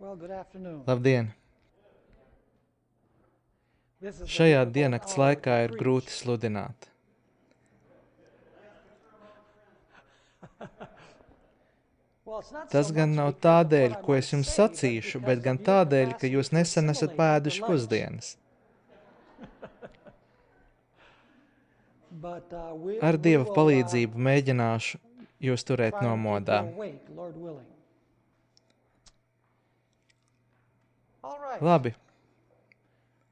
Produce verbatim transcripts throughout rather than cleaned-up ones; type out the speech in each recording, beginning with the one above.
Well, good afternoon. Labdien! This is a Šajā difficult diennakts hour laikā to ir preach. grūti sludināt. Well, it's not Tas so gan much nav because of what tādēļ, I ko es might jums say, sacīšu, but bet because gan of your tādēļ, ka capacity jūs to nesen esat assimilate after pēduši lunch. pusdienas. But, uh, we, Ar we Dieva will, palīdzību uh, mēģināšu jūs turēt try to keep you nomodā. awake, Lord willing. All right. Labi,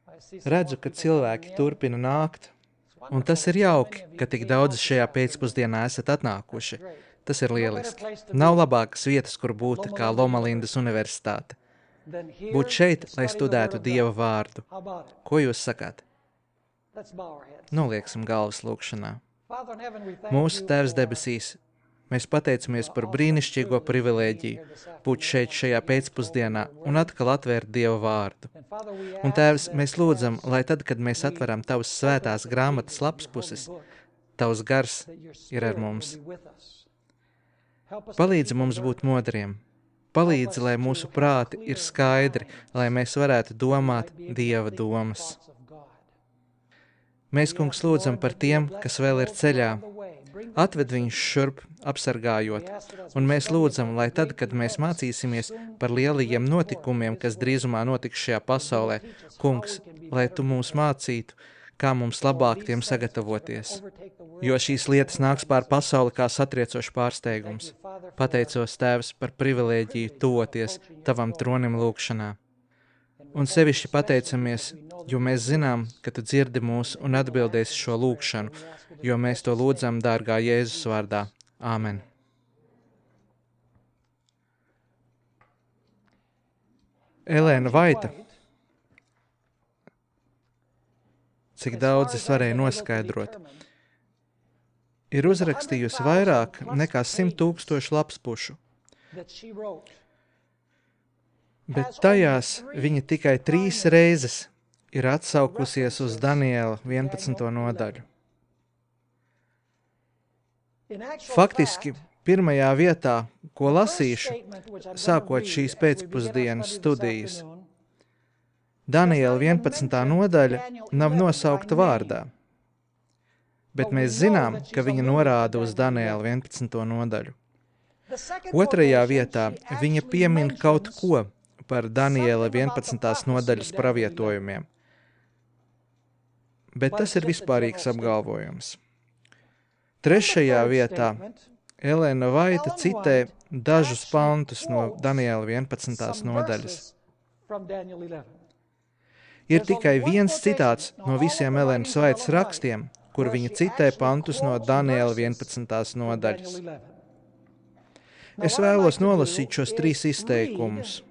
I see some redzu, more ka people cilvēki coming in. turpina nākt, It's un tas wonderful ir that so jauki, many of ka you tik came daudz out this šajā afternoon. pēcpusdienā esat atnākuši. That's great. Tas ir No better lieliski. place to Nav be labākas vietas, kur būt Loma kā Linda Loma Lindas universitāte. than here Būt šeit, to lai study the Word studētu of Dieva God. vārdu. How about it? Ko jūs sakāt? Let's bow our heads. Nolieksim galvas lūkšanā. Father in heaven, we thank Mūsu you Tēvs for debesīs, mēs pateicamies par brīnišķīgo privilēģiju būt šeit šajā pēcpusdienā un atkal atvērt Dieva vārdu. And Father, we Un ask Tēvs, that mēs lūdzam, as lai tad, kad mēs atveram Tavas svētās grāmatas lapspuses, Tavs gars that your ir ar Spirit will mums. be with us. Help us to Palīdzi keep mums alert. būt modriem. Palīdzi, lai mūsu prāti ir skaidri, lai mēs varētu domāt Dieva domas. Mēs, kungs, lūdzam par tiem, kas vēl ir ceļā. Atved viņus šurp, apsargājot, un mēs lūdzam, lai tad, kad mēs mācīsimies par lielajiem notikumiem, kas drīzumā notiks šajā pasaulē, kungs, lai Tu mūs mācītu, kā mums labāk tiem sagatavoties, jo šīs lietas nāks pār pasauli kā satriecošs pārsteigums. Pateicos, Tēvs, par privilēģiju tuvoties Tavam tronim lūkšanā. Un sevišķi pateicamies, jo mēs zinām, ka Tu dzirdi mūs un atbildēsi šo lūkšanu, jo mēs to lūdzam dārgā Jēzus vārdā. Āmen. Elēna Vaita, cik daudz es varēju noskaidrot, ir uzrakstījusi vairāk nekā simt tūkstošu lapspušu, bet tajās viņa tikai trīs reizes ir atsaukusies uz Daniela vienpadsmito nodaļu. Faktiski, pirmajā vietā, ko lasīšu, sākot šīs pēcpusdienas studijas, Daniela vienpadsmitā nodaļa nav nosaukta vārdā, bet mēs zinām, ka viņa norāda uz Daniela vienpadsmito nodaļu. Otrajā vietā viņa piemin kaut ko par Daniela vienpadsmitās nodaļas pravietojumiem, bet tas ir vispārīgs apgalvojums. Trešajā vietā Elēna Vaita citē dažus pantus no Daniela vienpadsmitās nodaļas. Ir tikai viens citāts no visiem Elēnas Vaitas rakstiem, kur viņa citē pantus no Daniela vienpadsmitās nodaļas. Es vēlos nolasīt šos trīs izteikumus.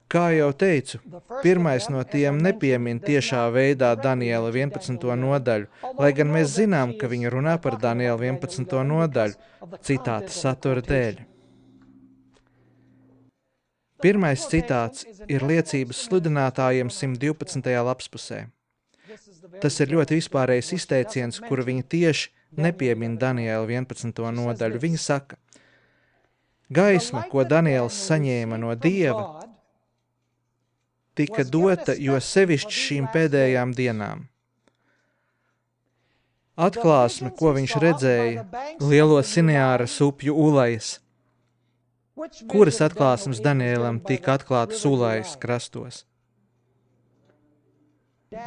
Kā jau teicu, pirmais no tiem nepiemin tiešā veidā Daniela vienpadsmito nodaļu, lai gan mēs zinām, ka viņa runā par Daniela vienpadsmito nodaļu, citāta satura dēļ. Pirmais citāts ir liecības sludinātājiem simt divpadsmitajā lapspusē. Tas ir ļoti vispārējs izteiciens, kuru viņa tieši nepiemin Daniela vienpadsmito nodaļu. Viņa saka, gaisma, ko Daniels saņēma no Dieva, tika dota jo sevišķi šīm pēdējām dienām. Atklāsme, ko viņš redzēja, lielo Sineāras upju ulajas. Kuras atklāsmes Danielam tika atklātas ulajas krastos?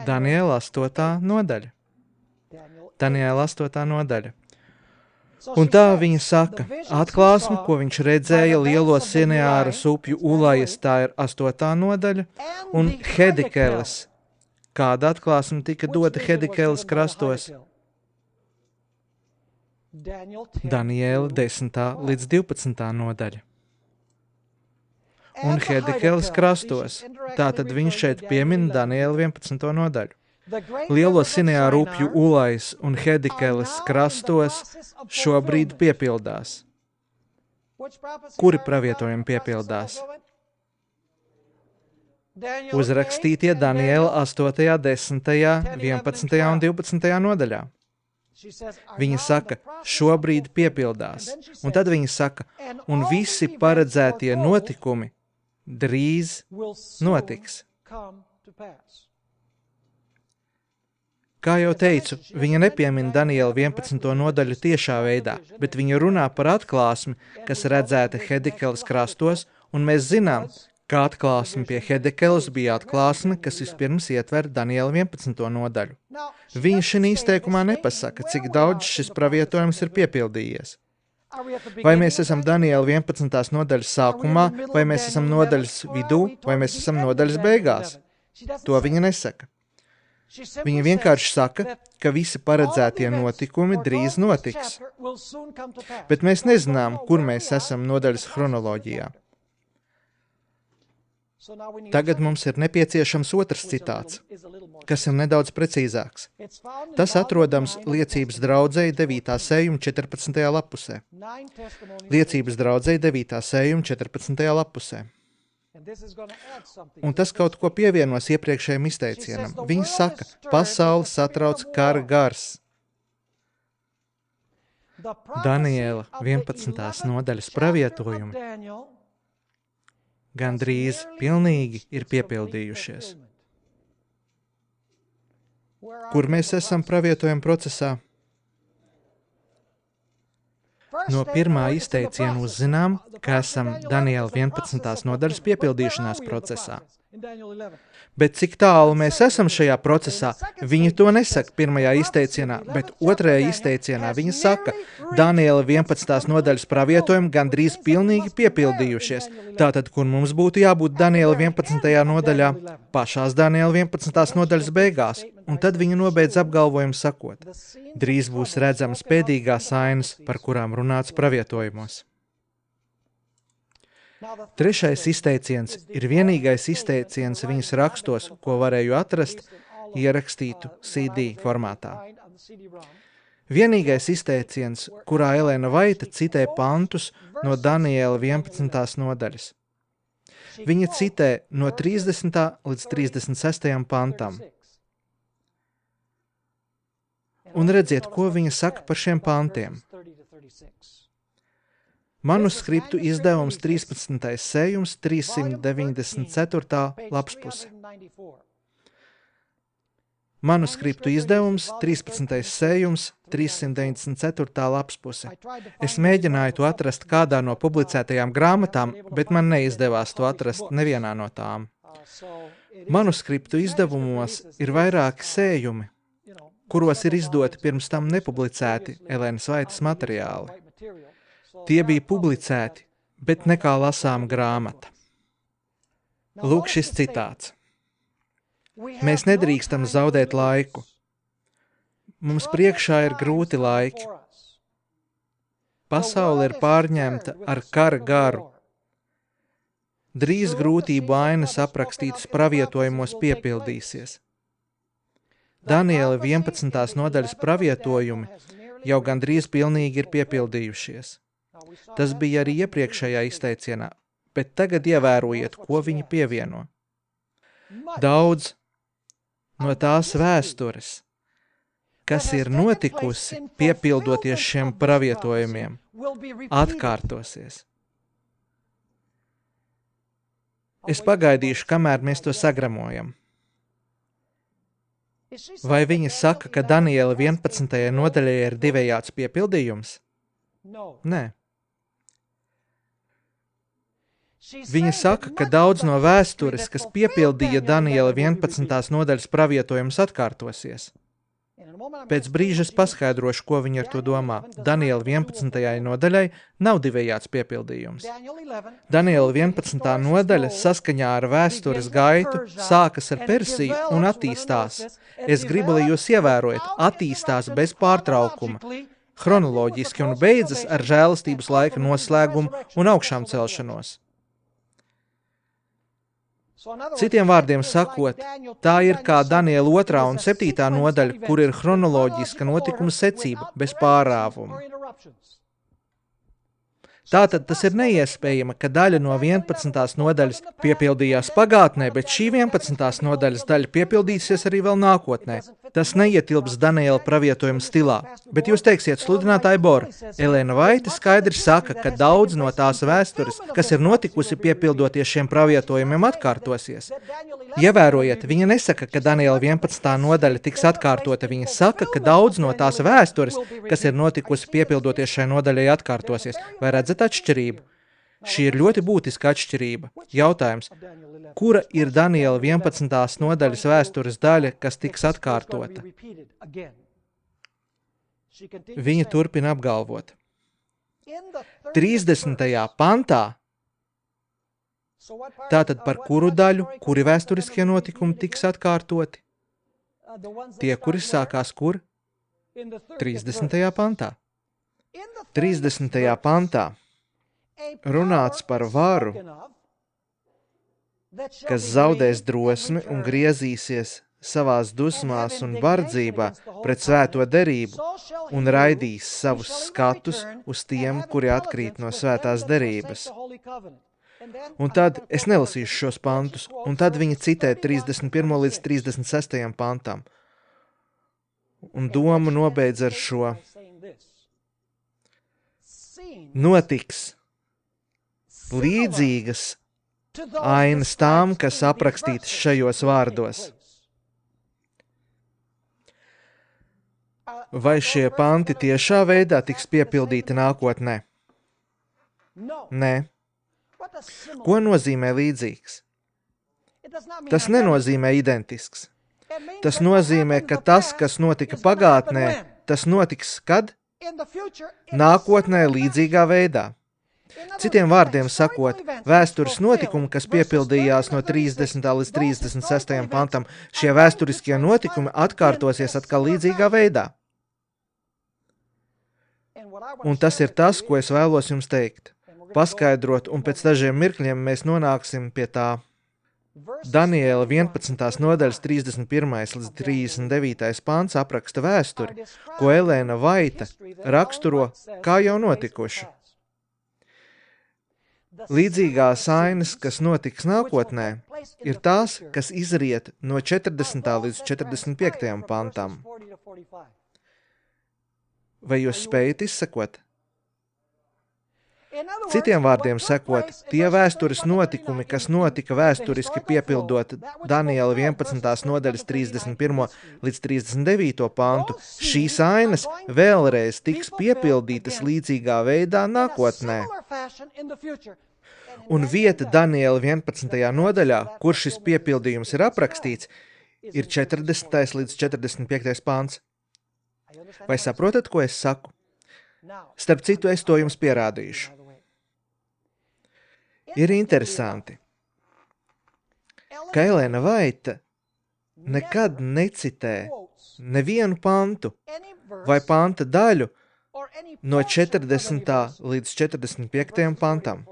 Daniela astotā nodaļa. Daniela astotā nodaļa. Un tā viņa saka, atklāsme, ko viņš redzēja lielo Sineāras upju ulajas, tā ir astotā nodaļa, un Hedikeles. Kāda atklāsme tika dota Hedikeles krastos? Daniela desmitā līdz divpadsmitā nodaļa. Un Hedikeles krastos, tātad viņš šeit piemin Daniela vienpadsmito nodaļu. Lielo Sineāru upju ulajas un Hedikeles krastos šobrīd piepildās. Kuri pravietojumi piepildās? Uzrakstītie Daniela astotajā, desmitajā, vienpadsmitajā un divpadsmitajā nodaļā. Viņa saka, šobrīd piepildās. Un tad viņa saka, un visi paredzētie notikumi drīz notiks. Kā jau teicu, viņa nepiemina Daniela vienpadsmito nodaļu tiešā veidā, bet viņa runā par atklāsmi, kas redzēta Hedikeles krastos, un mēs zinām, ka atklāsme pie Hedikeles bija atklāsme, kas vispirms ietver Daniela vienpadsmito nodaļu. Viņa šī izteikumā nepasaka, cik daudz šis pravietojums ir piepildījies. Vai mēs esam Daniela vienpadsmitās nodaļas sākumā, vai mēs esam nodaļas vidū, vai mēs esam nodaļas beigās? To viņa nesaka. Viņa vienkārši saka, ka visi paredzētie notikumi drīz notiks. Bet mēs nezinām, kur mēs esam nodaļas chronoloģijā. Tagad mums ir nepieciešams otrs citāts, kas ir nedaudz precīzāks. Tas atrodams Liecības draudzei devītā sējuma četrpadsmitajā lapusē. Liecības draudzei devītā sējuma četrpadsmitajā lapusē. Un tas kaut ko pievienos iepriekšējiem izteicienam. Viņa saka, pasauli satrauc kara gars. Daniela vienpadsmitās nodaļas pravietojumi gandrīz pilnīgi ir piepildījušies. Kur mēs esam pravietojuma procesā? No pirmā izteiciena uzzinām, ka esam Daniela vienpadsmitās nodaļas piepildīšanās procesā. Bet cik tālu mēs esam šajā procesā, viņa to nesaka pirmajā izteicienā, bet otrajā izteicienā viņa saka, Daniela vienpadsmitās nodaļas pravietojumi gandrīz pilnīgi piepildījušies. Tātad, kur mums būtu jābūt Daniela vienpadsmitajā nodaļā, pašās Daniela vienpadsmitās nodaļas beigās, un tad viņa nobeidz apgalvojumu sakot, drīz būs redzamas pēdīgās ainas, par kurām runāts pravietojumos. Trešais izteiciens ir vienīgais izteiciens viņas rakstos, ko varēju atrast, ierakstītu C D formātā. Vienīgais izteiciens, kurā Elēna Vaita citē pantus no Daniela vienpadsmitās nodaļas. Viņa citē no trīsdesmitā līdz trīsdesmit sestajam pantam. Un redziet, ko viņa saka par šiem pantiem. Manuskriptu izdevums trīspadsmitais sējums, trīssimt deviņdesmit ceturtā lapspuse. Manuskriptu izdevums trīspadsmitais sējums, trīssimt deviņdesmit ceturtā lapspuse. Es mēģināju to atrast kādā no publicētajām grāmatām, bet man neizdevās to atrast nevienā no tām. Manuskriptu izdevumos ir vairāki sējumi, kuros ir izdoti pirms tam nepublicēti Elēnas Vaitas materiāli. Tie bija publicēti, bet nekā lasām grāmata. Lūk šis citāts. Mēs nedrīkstam zaudēt laiku. Mums priekšā ir grūti laiki. Pasaule ir pārņemta ar kara garu. Drīz grūtību ainas aprakstītas pravietojumos piepildīsies. Daniela vienpadsmitās nodaļas pravietojumi jau gandrīz pilnīgi ir piepildījušies. Tas bija arī iepriekšējā izteicienā, bet tagad ievērojiet, ko viņi pievieno. Daudz no tās vēstures, kas ir notikusi piepildoties šiem pravietojumiem, atkārtosies. Es pagaidīšu, kamēr mēs to sagramojam. Vai viņa saka, ka Daniela vienpadsmitajai nodaļai ir divējāds piepildījums? Nē. Viņa saka, ka daudz no vēstures, kas piepildīja Daniela vienpadsmitās nodaļas pravietojumus, atkārtosies. Pēc brīža es paskaidrošu, ko viņa ar to domā. Daniela vienpadsmitajai nodaļai nav divējāds piepildījums. Daniela vienpadsmitā nodaļa saskaņā ar vēstures gaitu sākas ar Persiju un attīstās. Es gribu, lai jūs ievērojat, attīstās bez pārtraukuma, chronoloģiski un beidzas ar žēlastības laika noslēgumu un augšām celšanos. Citiem vārdiem sakot, tā ir kā Daniela otrā un septītā nodaļa, kur ir chronoloģiska notikuma secība bez pārāvuma. Tātad tas ir neiespējami, ka daļa no vienpadsmitās nodaļas piepildījās pagātnē, bet šī vienpadsmitās nodaļas daļa piepildīsies arī vēl nākotnē. Tas neietilps Daniela pravietojuma stilā, bet jūs teiksiet, sludinātāji Bora, Elēna Vaita skaidri saka, ka daudz no tās vēstures, kas ir notikusi piepildoties šiem pravietojumiem, atkārtosies. Ievērojiet, viņa nesaka, ka Daniela vienpadsmitā nodaļa tiks atkārtota, viņa saka, ka daudz no tās vēstures, kas ir notikusi piepildoties šai nodaļai, atkārtosies. Vai redzat atšķirību? Šī ir ļoti būtiska atšķirība. Jautājums, kura ir Daniela vienpadsmitās nodaļas vēstures daļa, kas tiks atkārtota? Viņa turpina apgalvot. trīsdesmitajā pantā, tātad par kuru daļu, kuri vēsturiskie notikumi tiks atkārtoti? Tie, kuri sākās kur? trīsdesmitajā pantā. trīsdesmitajā pantā runāts par varu, kas zaudēs drosmi un griezīsies savās dusmās un bardzībā pret svēto derību un raidīs savus skatus uz tiem, kuri atkrīt no svētās derības. Un tad, es nelasīšu šos pantus, un tad viņa citē trīsdesmit pirmo līdz trīsdesmit sestajam pantam. Un domu nobeidz ar šo. Notiks līdzīgas ainas tām, kas aprakstītas šajos vārdos. Vai šie panti tiešā veidā tiks piepildīti nākotnē? Nē. Ko nozīmē līdzīgs? Tas nenozīmē identisks. Tas nozīmē, ka tas, kas notika pagātnē, tas notiks kad? Nākotnē līdzīgā veidā. Citiem vārdiem sakot, vēstures notikumi, kas piepildījās no trīsdesmitā līdz trīsdesmit sestajam pantam, šie vēsturiskie notikumi atkārtosies atkal līdzīgā veidā. Un tas ir tas, ko es vēlos jums teikt. Paskaidrot, un pēc dažiem mirkļiem mēs nonāksim pie tā. Daniela vienpadsmitās nodaļas trīsdesmit pirmais līdz trīsdesmit devītais pants apraksta vēsturi, ko Elēna Vaita raksturo kā jau notikuši. Līdzīgās ainas, kas notiks nākotnē, ir tās, kas izriet no četrdesmitā līdz četrdesmit piektajam pantam. Vai jūs spējat izsekot? Citiem vārdiem sakot, tie vēstures notikumi, kas notika vēsturiski piepildot Daniela vienpadsmitās nodaļas trīsdesmit pirmo līdz trīsdesmit devīto pantu, šīs ainas vēlreiz tiks piepildītas līdzīgā veidā nākotnē. Un vieta Daniela vienpadsmitajā nodaļā, kur šis piepildījums ir aprakstīts, ir četrdesmitais līdz četrdesmit piektais pants. Vai saprotat, ko es saku? Starp citu, es to jums pierādīšu. Ir interesanti, ka Elēna Vaita nekad necitē nevienu pantu vai panta daļu no četrdesmitā līdz četrdesmit piektajam pantam.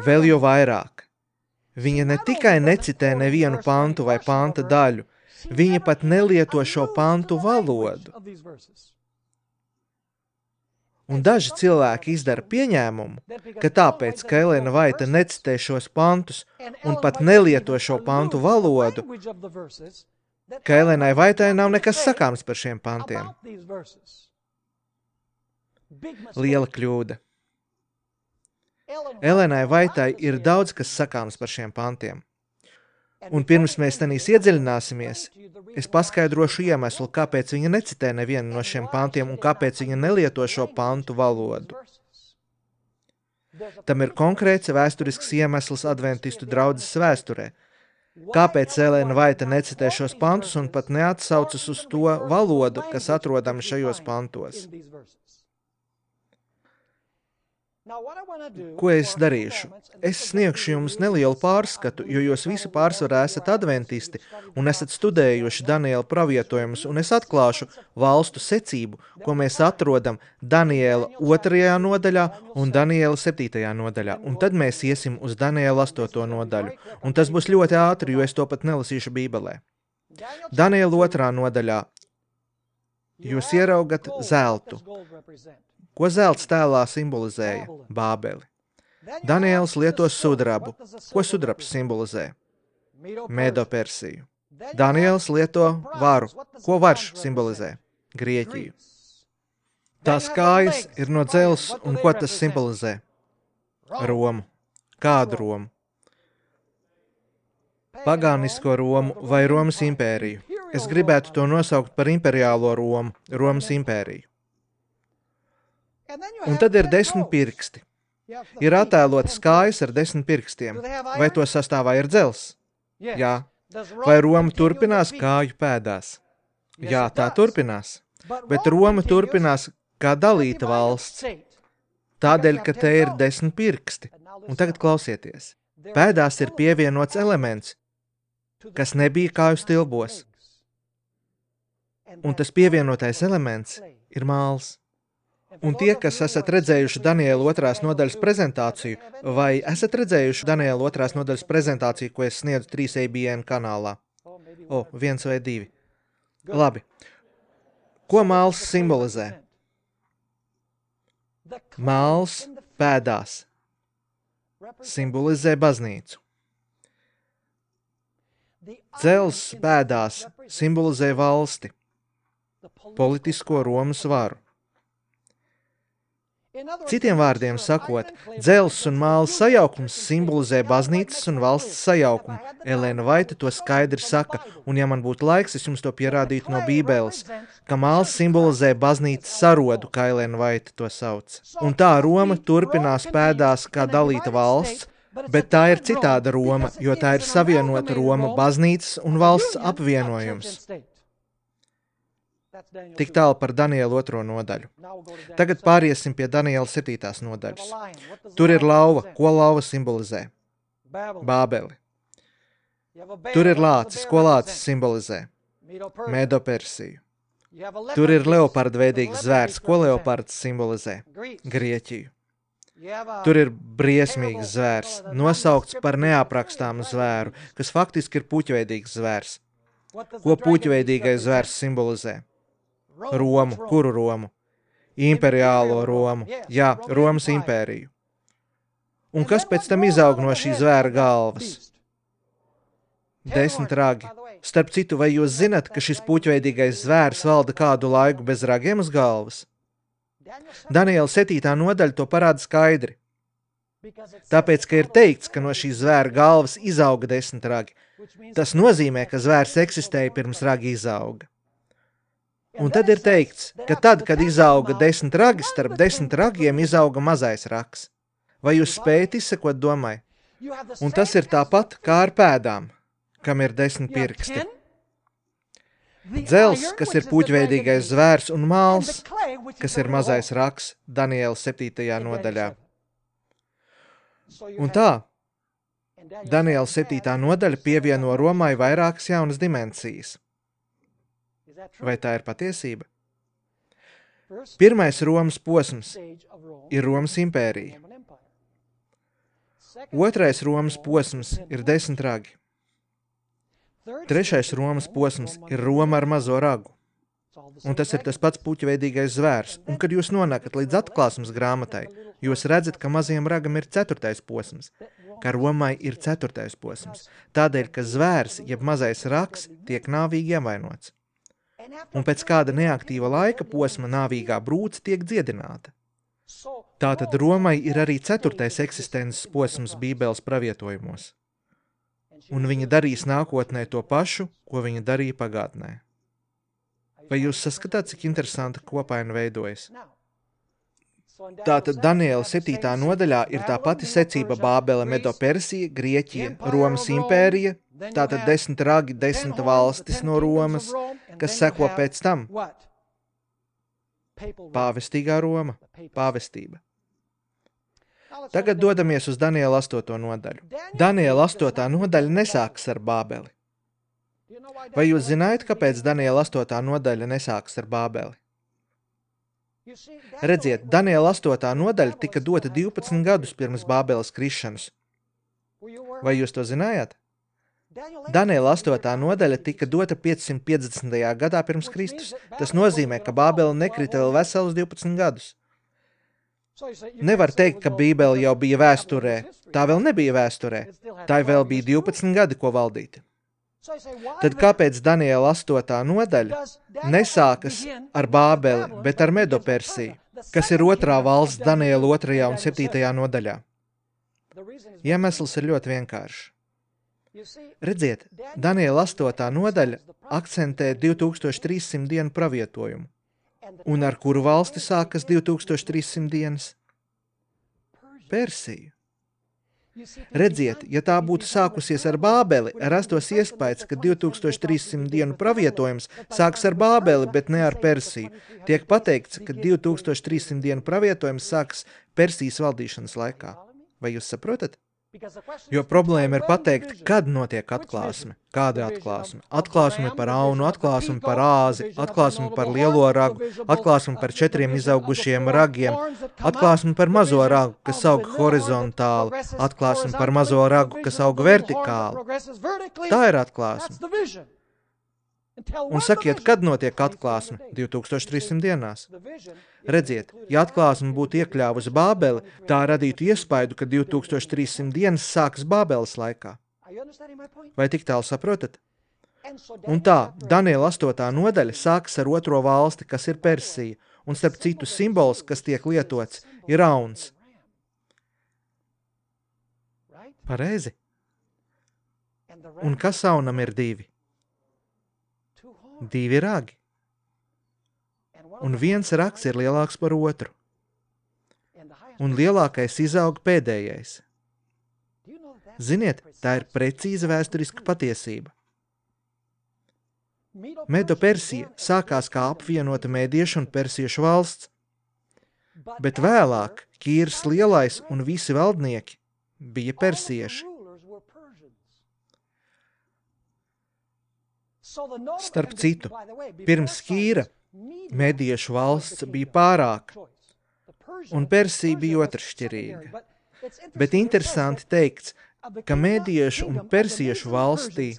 Vēl jau vairāk. Viņa ne tikai necitē nevienu pantu vai panta daļu, viņa pat nelieto šo pantu valodu. Un daži cilvēki izdara pieņēmumu, ka tāpēc, ka Elēna Vaita necitē šos pantus un pat nelieto šo pantu valodu, ka Elēnai Vaitai nav nekas sakāms par šiem pantiem. Liela kļūda. Elēnai Vaitai ir daudz, kas sakāms par šiem pantiem. Un pirms mēs tenīs iedziļināsimies, es paskaidrošu iemeslu, kāpēc viņa necitē nevienu no šiem pantiem un kāpēc viņa nelieto šo pantu valodu. Tam ir konkrēts vēsturisks iemesls adventistu draudzes vēsturē. Kāpēc Elēna Vaita necitē šos pantus un pat neatsaucas uz to valodu, kas atrodama šajos pantos? Ko es darīšu? Es sniegšu jums nelielu pārskatu, jo jūs visi pārsvarā esat adventisti un esat studējuši Daniela pravietojumus, un es atklāšu valstu secību, ko mēs atrodam Daniela otrajā nodaļā un Daniela septītajā nodaļā, un tad mēs iesim uz Daniela astoto nodaļu, un tas būs ļoti ātri, jo es to pat nelasīšu Bībelē. Daniela otrā nodaļā jūs ieraugat zeltu. Ko zelts tēlā simbolizēja? Bābeli. Daniels lieto sudrabu. Ko sudrabs simbolizē? Medo-Persiju. Daniels lieto varu. Ko varš simbolizē? Grieķiju. Tās kājas ir no dzelzs, un ko tas simbolizē? Romu. Kādu Romu? Pagānisko Romu vai Romas impēriju. Es gribētu to nosaukt par imperiālo Romu, Romas impēriju. Un tad ir desmit pirksti. Ir attēlotas kājas ar desmit pirkstiem. Vai to sastāvā ir dzelzs? Jā. Vai Roma turpinās kāju pēdās? Jā, tā turpinās. Bet Roma turpinās kā dalīta valsts. Tādēļ, ka te ir desmit pirksti. Un tagad klausieties. Pēdās ir pievienots elements, kas nebija kāju stilbos. Un tas pievienotais elements ir māls. Un tie, kas esat redzējuši Daniela otrās nodaļas prezentāciju, vai esat redzējuši Daniela otrās nodaļas prezentāciju, ko es sniedzu trīs A B N kanālā? O, viens vai divi. Labi. Ko māls simbolizē? Māls pēdās simbolizē baznīcu. Dzelzs pēdās simbolizē valsti, politisko Romas varu. Citiem vārdiem sakot, dzelzs un māls sajaukums simbolizē baznīcas un valsts sajaukumu. Elēna Vaita to skaidri saka, un ja man būtu laiks, es jums to pierādītu no Bībeles, ka māls simbolizē baznīcas sarodu, kā Elēna Vaita to sauc. Un tā Roma turpinās pēdās kā dalīta valsts, bet tā ir citāda Roma, jo tā ir savienota Roma baznīcas un valsts apvienojums. Tik tālu par Daniela otro nodaļu. Tagad pāriesim pie Daniela septītās nodaļas. Tur ir lauva. Ko lauva simbolizē? Bābeli. Tur ir lācis. Ko lācis simbolizē? Medo-Persiju. Tur ir leopardveidīgs zvērs. Ko leopards simbolizē? Grieķiju. Tur ir briesmīgs zvērs, nosaukts par neaprakstāmu zvēru, kas faktiski ir puķveidīgs zvērs. Ko puķveidīgais zvērs simbolizē? Romu. Kuru Romu? Imperiālo Romu. Jā, Romas impēriju. Un kas pēc tam izaug no šī zvēra galvas? Desmit ragi. Starp citu, vai jūs zinat, ka šis puķveidīgais zvērs valda kādu laiku bez ragiem uz galvas? Daniela septītā nodaļa to parāda skaidri. Tāpēc, ka ir teikts, ka no šī zvēra galvas izauga desmit ragi. Tas nozīmē, ka zvērs eksistēja pirms ragi izauga. Un tad ir teikts, ka tad, kad izauga desmit ragi, starp desmit ragiem izauga mazais rags. Vai jūs spējat izsekot domai? Un tas ir tāpat kā ar pēdām, kam ir desmit pirksti. Dzelzs, kas ir puķveidīgais zvērs, un māls, kas ir mazais rags, Daniela septītajā nodaļā. Un tā, Daniela septītā nodaļa pievieno Romai vairākas jaunas dimensijas. Vai tā ir patiesība? Pirmais Romas posms ir Romas impērija. Otrais Romas posms ir desmit ragi. Trešais Romas posms ir Roma ar mazo ragu. Un tas ir tas pats puķveidīgais zvērs. Un kad jūs nonākat līdz atklāsmes grāmatai, jūs redzat, ka mazajam ragam ir ceturtais posms, ka Romai ir ceturtais posms. Tādēļ, ka zvērs, jeb mazais rags, tiek nāvīgi ievainots. Un pēc kāda neaktīva laika posma nāvīgā brūce tiek dziedināta. Tātad Romai ir arī ceturtais eksistences posms Bībeles pravietojumos. Un viņa darīs nākotnē to pašu, ko viņa darīja pagātnē. Vai jūs saskatāt, cik interesanta kopaina veidojas? Tātad Daniela septītā nodaļā ir tā pati secība Bābele, Medo-Persija, Grieķija, Romas impērija, tātad desmit ragi, desmit valstis no Romas, kas seko pēc tam. Pāvestīgā Roma, pāvestība. Tagad dodamies uz Daniela astoto nodaļu. Daniela astotā nodaļa nesākas ar Bābeli. Vai jūs zinājat, kāpēc Daniela astotā nodaļa nesākas ar Bābeli? Redziet, Daniela astotā nodaļa tika dota divpadsmit gadus pirms Bābeles krišanas. Vai jūs to zinājāt? Daniela astotā nodaļa tika dota piecsimt piecdesmitajā gadā pirms Kristus. Tas nozīmē, ka Bābele nekrita vēl veselus divpadsmit gadus. Nevar teikt, ka Bībele jau bija vēsturē. Tā vēl nebija vēsturē. Tā vēl bija divpadsmit gadi, ko valdīt. Tad kāpēc Daniela astotā nodaļa nesākas ar Bābeli, bet ar Medopersiju, kas ir otrā valsts Daniela otrajā un septītajā nodaļā? Iemesls ir ļoti vienkāršs. Redziet, Daniela astotā nodaļa akcentē divi tūkstoši trīs simti dienu pravietojumu. Un ar kuru valsti sākas divi tūkstoši trīs simti dienas? Persija. Redziet, ja tā būtu sākusies ar Bābeli, rastos iespējas, ka divi tūkstoši trīs simti dienu pravietojums sāks ar Bābeli, bet ne ar Persiju. Tiek pateikts, ka divi tūkstoši trīs simti dienu pravietojums sāks Persijas valdīšanas laikā. Vai jūs saprotat? Jo problēma ir pateikt, kad notiek atklāsme. Kāda atklāsme? Atklāsme par aunu, atklāsme par āzi, atklāsme par lielo ragu, atklāsme par četriem izaugušiem ragiem, atklāsme par mazo ragu, kas aug horizontāli, atklāsme par mazo ragu, kas aug vertikāli. Tā ir atklāsme. Un sakiet, kad notiek atklāsme? divi tūkstoši trīs simti dienās. Redziet, ja atklāsme būtu iekļāvusi Bābeli, tā radītu iespaidu, ka divi tūkstoši trīs simti dienas sākas Bābeles laikā. Vai tik tālu saprotat? Un tā, Daniela astotā nodaļa sākas ar otro valsti, kas ir Persija, un starp citu simbols, kas tiek lietots, ir rauns. Pareizi. Un kas aunam ir divi? Divi ragi. Un viens rags ir lielāks par otru. Un lielākais izaug pēdējais. Ziniet, tā ir precīza vēsturiska patiesība. Medo-Persija sākās kā apvienota mēdiešu un persiešu valsts, bet vēlāk Kīrs lielais un visi valdnieki bija persieši. Starp citu, pirms Kīra mediešu valsts bija pārāka, un Persija bija otršķirīga. Bet interesanti teikts, ka mediešu un persiešu valstī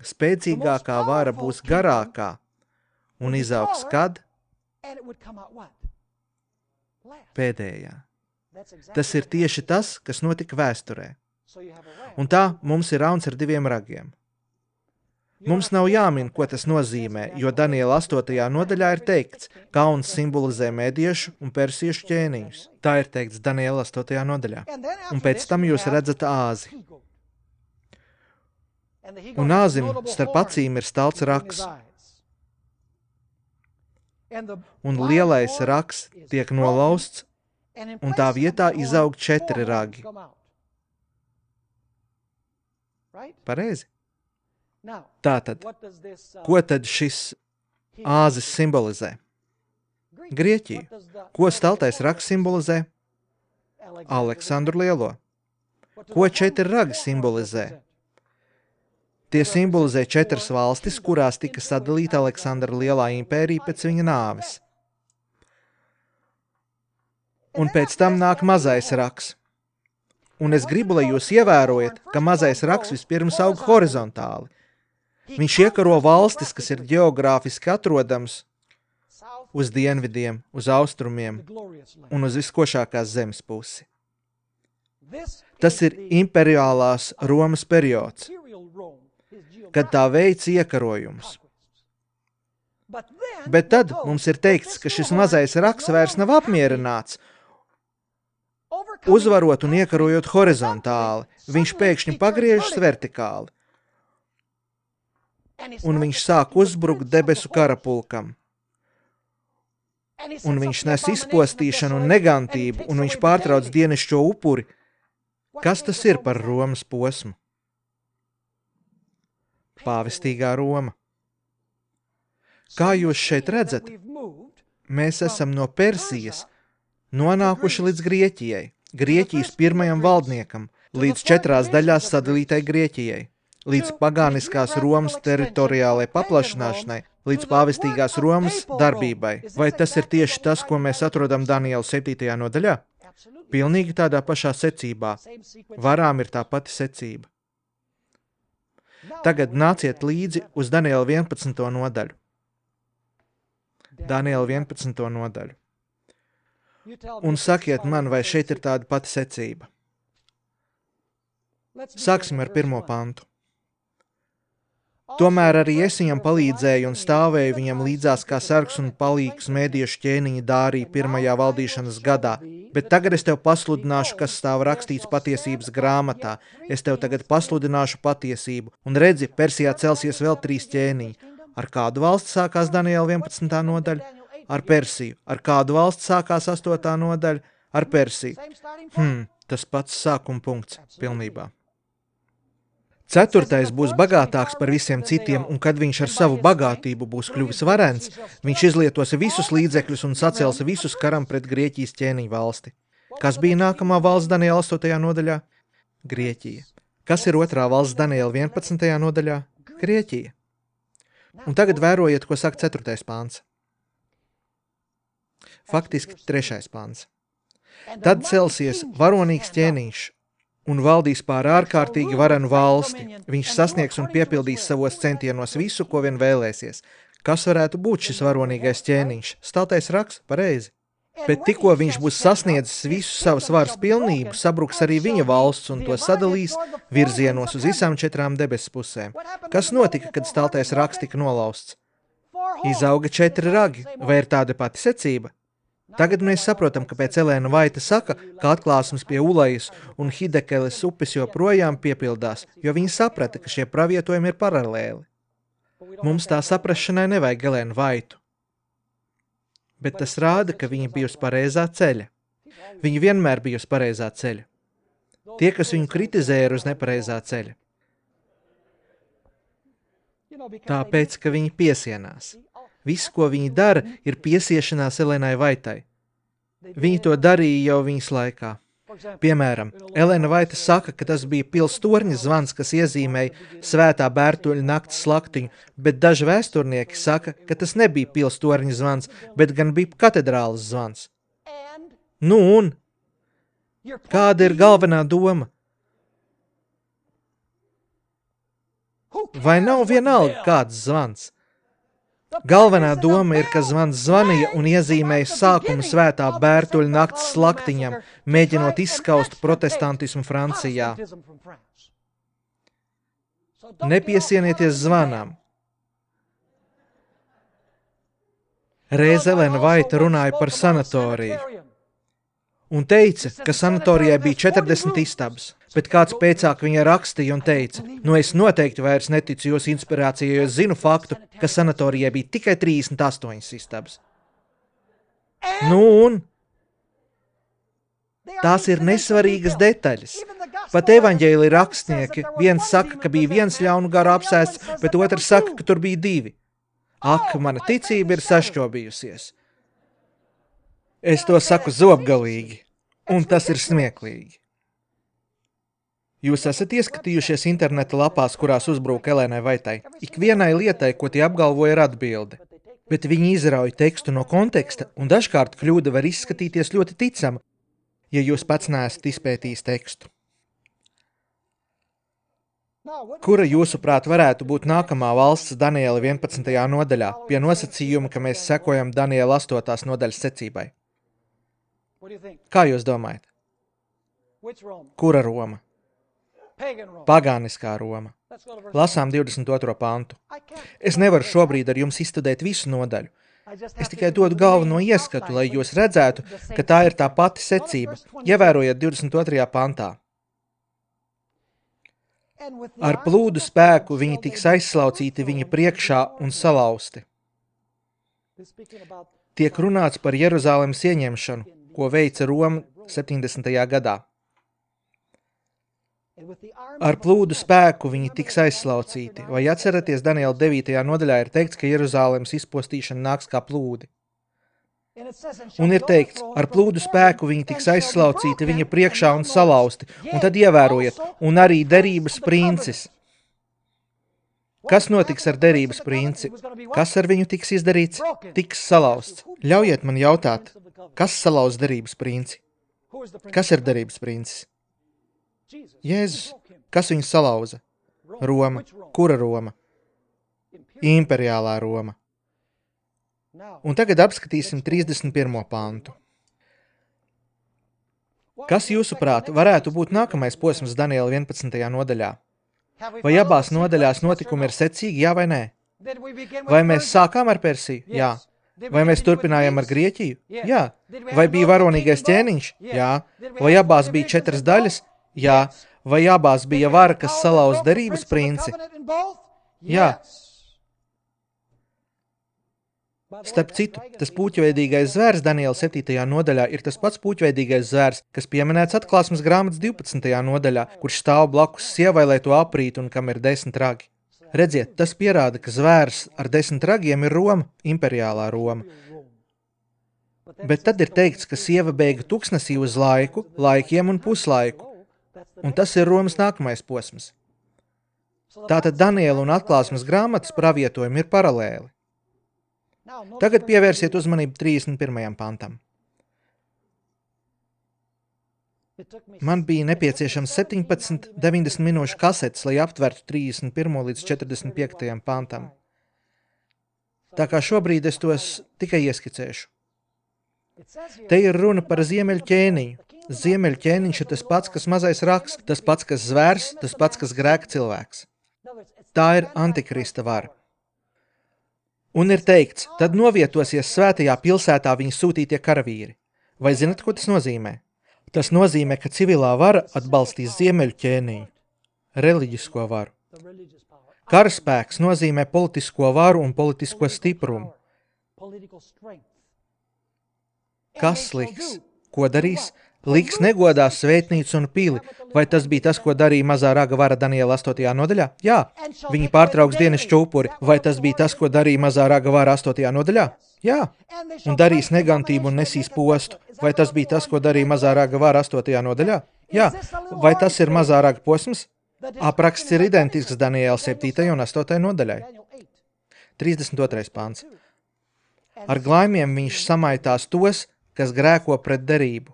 spēcīgākā vara būs garākā un izaugs kad? Pēdējā. Tas ir tieši tas, kas notika vēsturē. Un tā mums ir rauns ar diviem ragiem. Mums nav jāmin, ko tas nozīmē, jo Daniela astotajā nodaļā ir teikts, ka auns simbolizē mediešu un persiešu ķēniņus. Tā ir teikts Daniela astotajā nodaļā. Un pēc tam jūs redzat āzi. Un āzim starp acīm ir stalts raks. Un lielais raks tiek nolausts, un tā vietā izaug četri ragi. Pareizi? Tātad, ko tad šis āzis simbolizē? Grieķiju. Ko staltais rags simbolizē? Aleksandru Lielo. Ko četri ragi simbolizē? Tie simbolizē četras valstis, kurās tika sadalīta Aleksandra Lielā impērija pēc viņa nāves. Un pēc tam nāk mazais rags. Un es gribu, lai jūs ievērojat, ka mazais rags vispirms aug horizontāli. Viņš iekaro valstis, kas ir ģeogrāfiski atrodams uz dienvidiem, uz austrumiem un uz viskošākās zemes pusi. Tas ir imperiālās Romas periods, kad tā veic iekarojumus. Bet tad mums ir teikts, ka šis mazais rags vairs nav apmierināts. Uzvarot un iekarojot horizontāli, viņš pēkšņi pagriežas vertikāli. Un viņš sāk uzbrukt debesu karapulkam. Un viņš nes izpostīšanu un negantību, un viņš pārtrauc dienešķo upuri. Kas tas ir par Romas posmu? Pāvestīgā Roma. Kā jūs šeit redzat, mēs esam no Persijas nonākuši līdz Grieķijai, Grieķijas pirmajam valdniekam, līdz četrās daļās sadalītai Grieķijai, līdz pagāniskās Romas teritoriālai paplašināšanai, līdz pāvestīgās Romas darbībai. Vai tas ir tieši tas, ko mēs atrodam Daniela septītajā nodaļā? Pilnīgi tādā pašā secībā. Varām ir tā pati secība. Tagad nāciet līdzi uz Daniela vienpadsmito nodaļu. Daniela vienpadsmito nodaļu. un sakiet man, vai šeit ir tāda pati secība. Sāksim ar pirmo pantu. Tomēr arī es viņam palīdzēju un stāvēju viņam līdzās kā sargs un palīgs mēdiešu ķēniņa Dārija pirmajā valdīšanas gadā, bet tagad es tev pasludināšu, kas stāv rakstīts patiesības grāmatā. Es tev tagad pasludināšu patiesību, un redzi, Persijā celsies vēl trīs ķēniņi. Ar kādu valsti sākās Daniela vienpadsmitā nodaļa? Ar Persiju. Ar kādu valsti sākās astotā nodaļa? Ar Persiju. Hmm, tas pats sākuma punkts, pilnībā. Ceturtais būs bagātāks par visiem citiem, un kad viņš ar savu bagātību būs kļuvis varens, viņš izlietos visus līdzekļus un sacels visus karam pret Grieķijas ķēniņu valsti. Kas bija nākamā valsts Daniela astotajā nodaļā? Grieķija. Kas ir otrā valsts Daniela vienpadsmitajā nodaļā? Grieķija. Un tagad vērojiet, ko saka ceturtais pāns. Faktiski trešais pāns. Tad celsies varonīgs ķēniņš un valdīs pār ārkārtīgi varenu valsti. Viņš sasniegs un piepildīs savos centienos visu, ko vien vēlēsies. Kas varētu būt šis varonīgais ķēniņš? Stātais raksts, pareizi. Bet tikko viņš būs sasniedzis visu savas varas pilnību, sabruks arī viņa valsts un to sadalīs virzienos uz visām četrām debesu pusēm. Kas notika, kad stātais raksts tika nolausts? Izauga četri ragi, vai ir tāda pati secība? Tagad mēs saprotam, kāpēc Elēna Vaita saka, ka atklāsmes pie Ulajas un Hidekeles upes joprojām piepildās, jo viņi saprata, ka šie pravietojumi ir paralēli. Mums tā saprašanai nevajag Elēnu Vaitu. Bet tas rāda, ka viņa bija uz pareizā ceļa. Viņa vienmēr bija uz pareizā ceļa. Tie, kas viņu kritizēja, ir uz nepareizā ceļa. Tāpēc, ka viņi piesienās. Viss, ko viņi dara, ir piesiešanās Elēnai Vaitai. Viņi to darīja jau viņas laikā. Piemēram, Elēna Vaita saka, ka tas bija pils torņa zvans, kas iezīmēja svētā Bērtuļa nakts slaktiņu, bet daži vēsturnieki saka, ka tas nebija pils torņa zvans, bet gan bija katedrāles zvans. Nu un? Kāda ir galvenā doma? Vai nav vienalga kāds zvans? Galvenā doma ir, ka zvans zvanīja un iezīmēja sākumu svētā Bērtuļa nakts slaktiņam, mēģinot izskaust protestantismu Francijā. Nepiesienieties zvanām. Reiz Elēna Vaita runāja par sanatoriju un teica, ka sanatorijai bija četrdesmit istabas, bet kāds pēcāk viņa rakstīja un teica, nu es noteikti vairs neticu jūsu inspirācijai, jo es zinu faktu, ka sanatorijai bija tikai trīsdesmit astoņas istabas. Nu un? Tās ir nesvarīgas detaļas. Pat evaņģēlija rakstnieki, viens saka, ka bija viens ļaunu garu apsēsts, bet otrs saka, ka tur bija divi. Ak, mana ticība ir sašķobījusies. Es to saku zobgalīgi, un tas ir smieklīgi. Jūs esat ieskatījušies interneta lapās, kurās uzbrūk Elēnai Vaitai. Ikvienai lietai, ko tie apgalvo, ir atbilde. Bet viņi izrauj tekstu no konteksta, un dažkārt kļūda var izskatīties ļoti ticama, ja jūs pats neesat izpētījis tekstu. Kura jūsuprāt varētu būt nākamā valsts Daniela vienpadsmitajā nodaļā, pie nosacījuma, ka mēs sekojam Daniela astotās nodaļas secībai? Kā jūs domājat? Kura Roma? Pagāniskā Roma. Lasām divdesmit otro pantu. Es nevaru šobrīd ar jums izstudēt visu nodaļu. Es tikai dodu galveno ieskatu, lai jūs redzētu, ka tā ir tā pati secība. Ievērojiet divdesmit otrajā pantā. Ar plūdu spēku viņi tiks aizslaucīti viņa priekšā un salauzti. Tiek runāts par Jeruzālemes ieņemšanu, ko veica Roma septiņdesmitajā gadā. Ar plūdu spēku viņi tiks aizslaucīti. Vai atceraties, Daniela devītajā nodaļā ir teikts, ka Jeruzālemes izpostīšana nāks kā plūdi? Un ir teikts, ar plūdu spēku viņi tiks aizslaucīti viņa priekšā un salauzti. Un tad ievērojiet, un arī derības princis. Kas notiks ar derības princi? Kas ar viņu tiks izdarīts? Tiks salauzts. Ļaujiet man jautāt, kas salauz derības princi? Kas ir derības princis? Jēzus. Kas viņu salauza? Roma. Kura Roma? Imperiālā Roma. Un tagad apskatīsim trīsdesmit pirmo pantu. Kas jūsuprāt varētu būt nākamais posms Daniela vienpadsmitajā nodaļā? Vai abās nodaļās notikumi ir secīgi, jā vai nē? Vai mēs sākām ar Persiju? Jā. Vai mēs turpinājām ar Grieķiju? Jā. Vai bija varonīgais ķēniņš? Jā. Vai abās bija četras daļas? Jā. Vai abās bija vara, kas salauz derības princi? Jā. Starp citu, tas puķveidīgais zvērs Daniela septītajā nodaļā ir tas pats puķveidīgais zvērs, kas pieminēts Atklāsmes grāmatas divpadsmitajā nodaļā, kurš stāv blakus sievai, lai to aprītu un kam ir desmit ragi. Redziet, tas pierāda, ka zvērs ar desmit ragiem ir Roma, imperiālā Roma. Bet tad ir teikts, ka sieva bēga tuksnesī uz laiku, laikiem un puslaiku, un tas ir Romas nākamais posms. Tātad Daniela un Atklāsmes grāmatas pravietojumi ir paralēli. Tagad pievērsiet uzmanību trīsdesmit pirmajam pantam. Man bija nepieciešams septiņpadsmit deviņdesmit minūšu kasetes, lai aptvertu trīsdesmit pirmo līdz četrdesmit piektajam pantam. Tā kā šobrīd es tos tikai ieskicēšu. Te ir runa par ziemeļu ķēniņu. Ziemeļu ķēniņš ir tas pats, kas mazais raks, tas pats, kas zvērs, tas pats, kas grēka cilvēks. Tā ir antikrista vara. Un ir teikts, tad novietosies svētajā pilsētā viņa sūtītie karavīri. Vai zinat, ko tas nozīmē? Tas nozīmē, ka civilā vara atbalstīs ziemeļu ķēniņu, reliģisko varu. Karaspēks nozīmē politisko varu un politisko stiprumu. Kas liks? Ko darīs? Liks negodās svētnīcu un pili. Vai tas bija tas, ko darīja mazā raga vara Daniela astotajā nodaļā? Jā. Viņi pārtrauks dienesču upuri. Vai tas bija tas, ko darīja mazā raga vara astotajā nodaļā? Jā. Un darīs negantību un nesīs postu. Vai tas bija tas, ko darīja mazā raga vara astotajā nodaļā? Jā. Vai tas ir mazā raga posms? Apraksts ir identisks Daniela septītajai un astotajai nodaļai. trīsdesmit otrais pāns. Ar glaimiem viņš samaitās tos, kas grēko pret derību.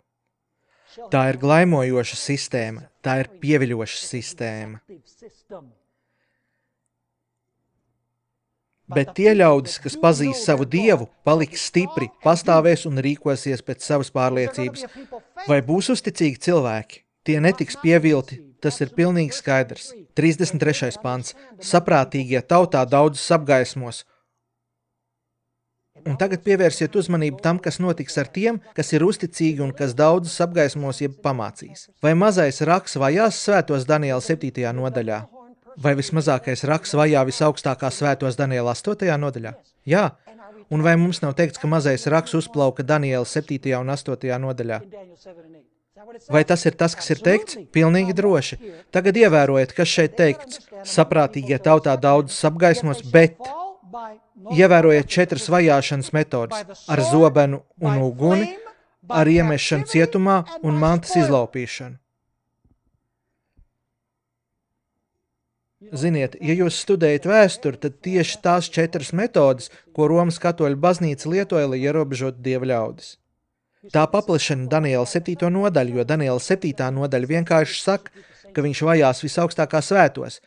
Tā ir glaimojoša sistēma, tā ir pieviļoša sistēma. Bet tie ļaudis, kas pazīs savu dievu, paliks stipri, pastāvēs un rīkosies pēc savas pārliecības. Vai būs uzticīgi cilvēki? Tie netiks pievilti, tas ir pilnīgi skaidrs. trīsdesmit trešais pants. Saprātīgie tautā daudzus apgaismos. Un tagad pievērsiet uzmanību tam, kas notiks ar tiem, kas ir uzticīgi un kas daudzus apgaismos jeb pamācīs. Vai mazais raks vajās svētos Daniela septītajā nodaļā? Vai vismazākais raks vajā visaugstākā svētos Daniela astotajā nodaļā? Jā. Un vai mums nav teikts, ka mazais raks uzplauka Daniela septītajā un astotajā nodaļā? Vai tas ir tas, kas ir teikts? Pilnīgi droši. Tagad ievērojiet, kas šeit teikts. Saprātīgie tautā daudzus apgaismos, bet... Ievērojiet četras vajāšanas metodas ar zobenu un uguni, ar iemešanu cietumā un mantas izlaupīšanu. Ziniet, ja jūs studējat vēsturi, tad tieši tās četras metodas, ko Romas katoļu baznīca lietoja, lai ierobežotu dieva ļaudis. Tā paplašina Daniela septīto nodaļu, jo Daniela septītā nodaļa vienkārši saka, ka viņš vajās visaugstākā svētos.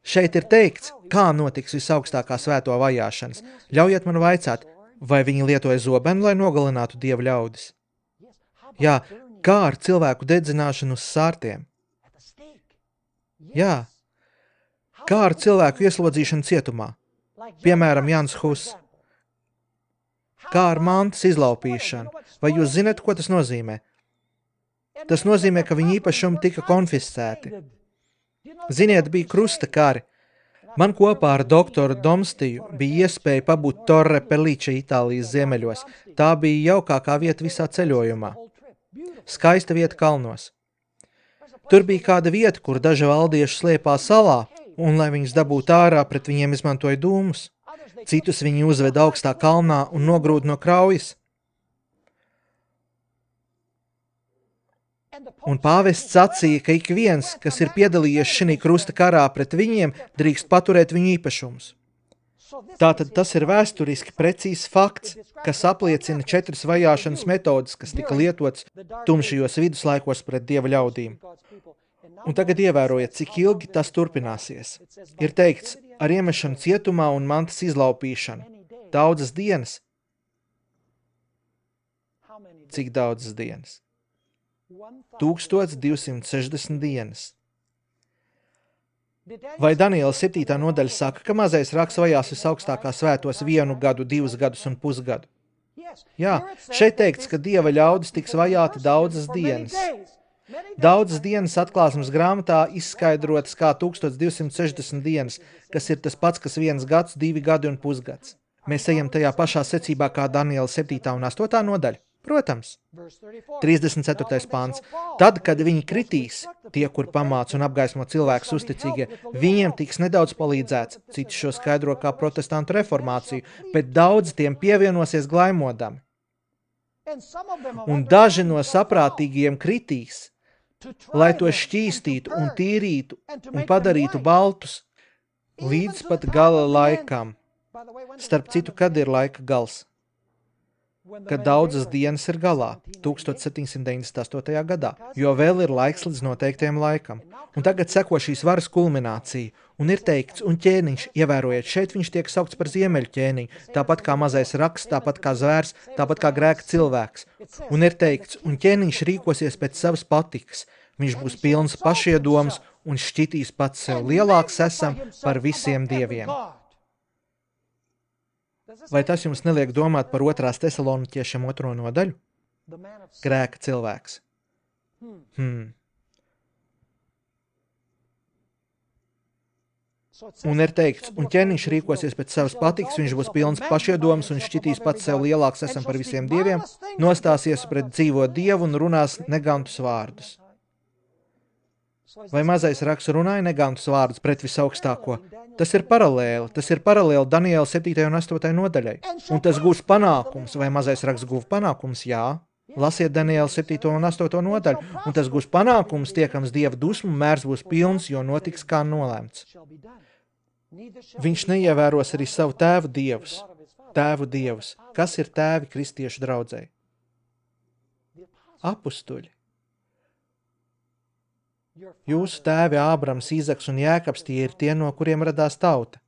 Šeit ir teikts, kā notiks visaugstākā svēto vajāšanas. Ļaujiet man vaicāt, vai viņi lietoja zobenu, lai nogalinātu dievu ļaudis? Jā, kā ar cilvēku dedzināšanu uz sārtiem? Jā. Kā ar cilvēku ieslodzīšanu cietumā? Piemēram, Jans Hus. Kā ar mantas izlaupīšanu? Vai jūs zināt, ko tas nozīmē? Tas nozīmē, ka viņa īpašumi tika konfiscēti. Ziniet, bija krusta kari. Man kopā ar doktoru Domstiju bija iespēja pabūt Torre Pellice Itālijas ziemeļos. Tā bija jaukākā vieta visā ceļojumā. Skaista vieta kalnos. Tur bija kāda vieta, kur daži valdieši slēpā salā, un, lai viņus dabūtu ārā, pret viņiem izmantoja dūmus. Citus viņi uzveda augstā kalnā un nogrūda no kraujas. Un pāvests sacīja, ka ik viens, kas ir piedalījies šī krusta karā pret viņiem, drīkst paturēt viņu īpašumus. Tātad tas ir vēsturiski precīzs fakts, kas apliecina četras vajāšanas metodas, kas tika lietotas tumšajos viduslaikos pret dieva ļaudīm. Un tagad ievērojiet, cik ilgi tas turpināsies. Ir teikts, ar iemešanu cietumā un mantas izlaupīšanu. Daudzas dienas. Cik daudzas dienas? tūkstoš divsimt sešdesmit dienas. Vai Daniela septītā nodaļa saka, ka mazais raksts vajās visaugstākā svētos vienu gadu, divus gadus un pusgadu? Jā, šeit teikts, ka Dieva ļaudis tiks vajāti daudzas dienas. Daudzas dienas atklāsmes grāmatā izskaidrotas kā tūkstoš divsimt sešdesmit dienas, kas ir tas pats, kas viens gads, divi gadi un pusgads. Mēs ejam tajā pašā secībā kā Daniela septītā un astotā nodaļa? Protams. trīsdesmit ceturtais pāns. Tad, kad viņi kritīs, tie, kur pamāc un apgaismo cilvēkus uzticīgie, viņiem tiks nedaudz palīdzēts, citi šo skaidro kā protestantu reformāciju, bet daudz tiem pievienosies glaimodami. Un daži no saprātīgiem kritīs, lai to šķīstītu un tīrītu un padarītu baltus, līdz pat gala laikam. Starp citu, kad ir laika gals? Kad daudzas dienas ir galā, tūkstoš septiņsimt deviņdesmit astotajā gadā, jo vēl ir laiks līdz noteiktajam laikam. Un tagad seko šīs varas kulminācija, un ir teikts, un ķēniņš, ievērojiet, šeit viņš tiek saukts par ziemeļu ķēniņu, tāpat kā mazais raksts, tāpat kā zvērs, tāpat kā grēka cilvēks. Un ir teikts, un ķēniņš rīkosies pēc savas patikas, viņš būs pilns pašiedoms un šķitīs pats sev lielāks esam par visiem dieviem. Vai tas jums neliek domāt par otrās Tesaloniķiešiem otro nodaļu? Grēka cilvēks. Hmm. Un ir teikts, un ķēniņš rīkosies pēc savas patikas, viņš būs pilns pašiedoms un šķitīs pats sev lielāks esam par visiem dieviem, nostāsies pret dzīvo dievu un runās negantus vārdus. Vai mazais raksts runāja negantus vārdus pret visaugstāko? Tas ir paralēli, tas ir paralēli Daniela septītajai un astotajai nodaļai. Un tas gūs panākums, vai mazais raksts guva panākums? Jā. Lasiet Daniela septīto un astoto nodaļu, un tas gūs panākums, tiekams Dieva dusmu, mērs būs pilns, jo notiks kā nolēmts. Viņš neievēros arī savu tēvu dievus, tēvu dievus. Kas ir tēvi kristiešu draudzei? Apustuļi. Jūsu tēvi Ābrams, Īzaks un Jēkabs tie ir tie, no kuriem radās tauta.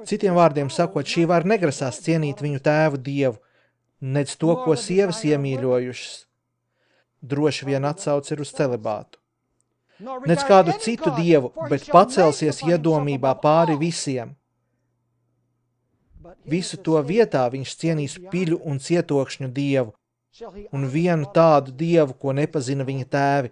Citiem vārdiem sakot, šī var negrasās cienīt viņu tēvu dievu, nec to, ko sievas iemīļojušas. Droši vien atsauc ir uz celibātu. Nec kādu citu dievu, bet pacelsies iedomībā pāri visiem. Visu to vietā viņš cienīs piļu un cietokšņu dievu, un vienu tādu dievu, ko nepazina viņa tēvi.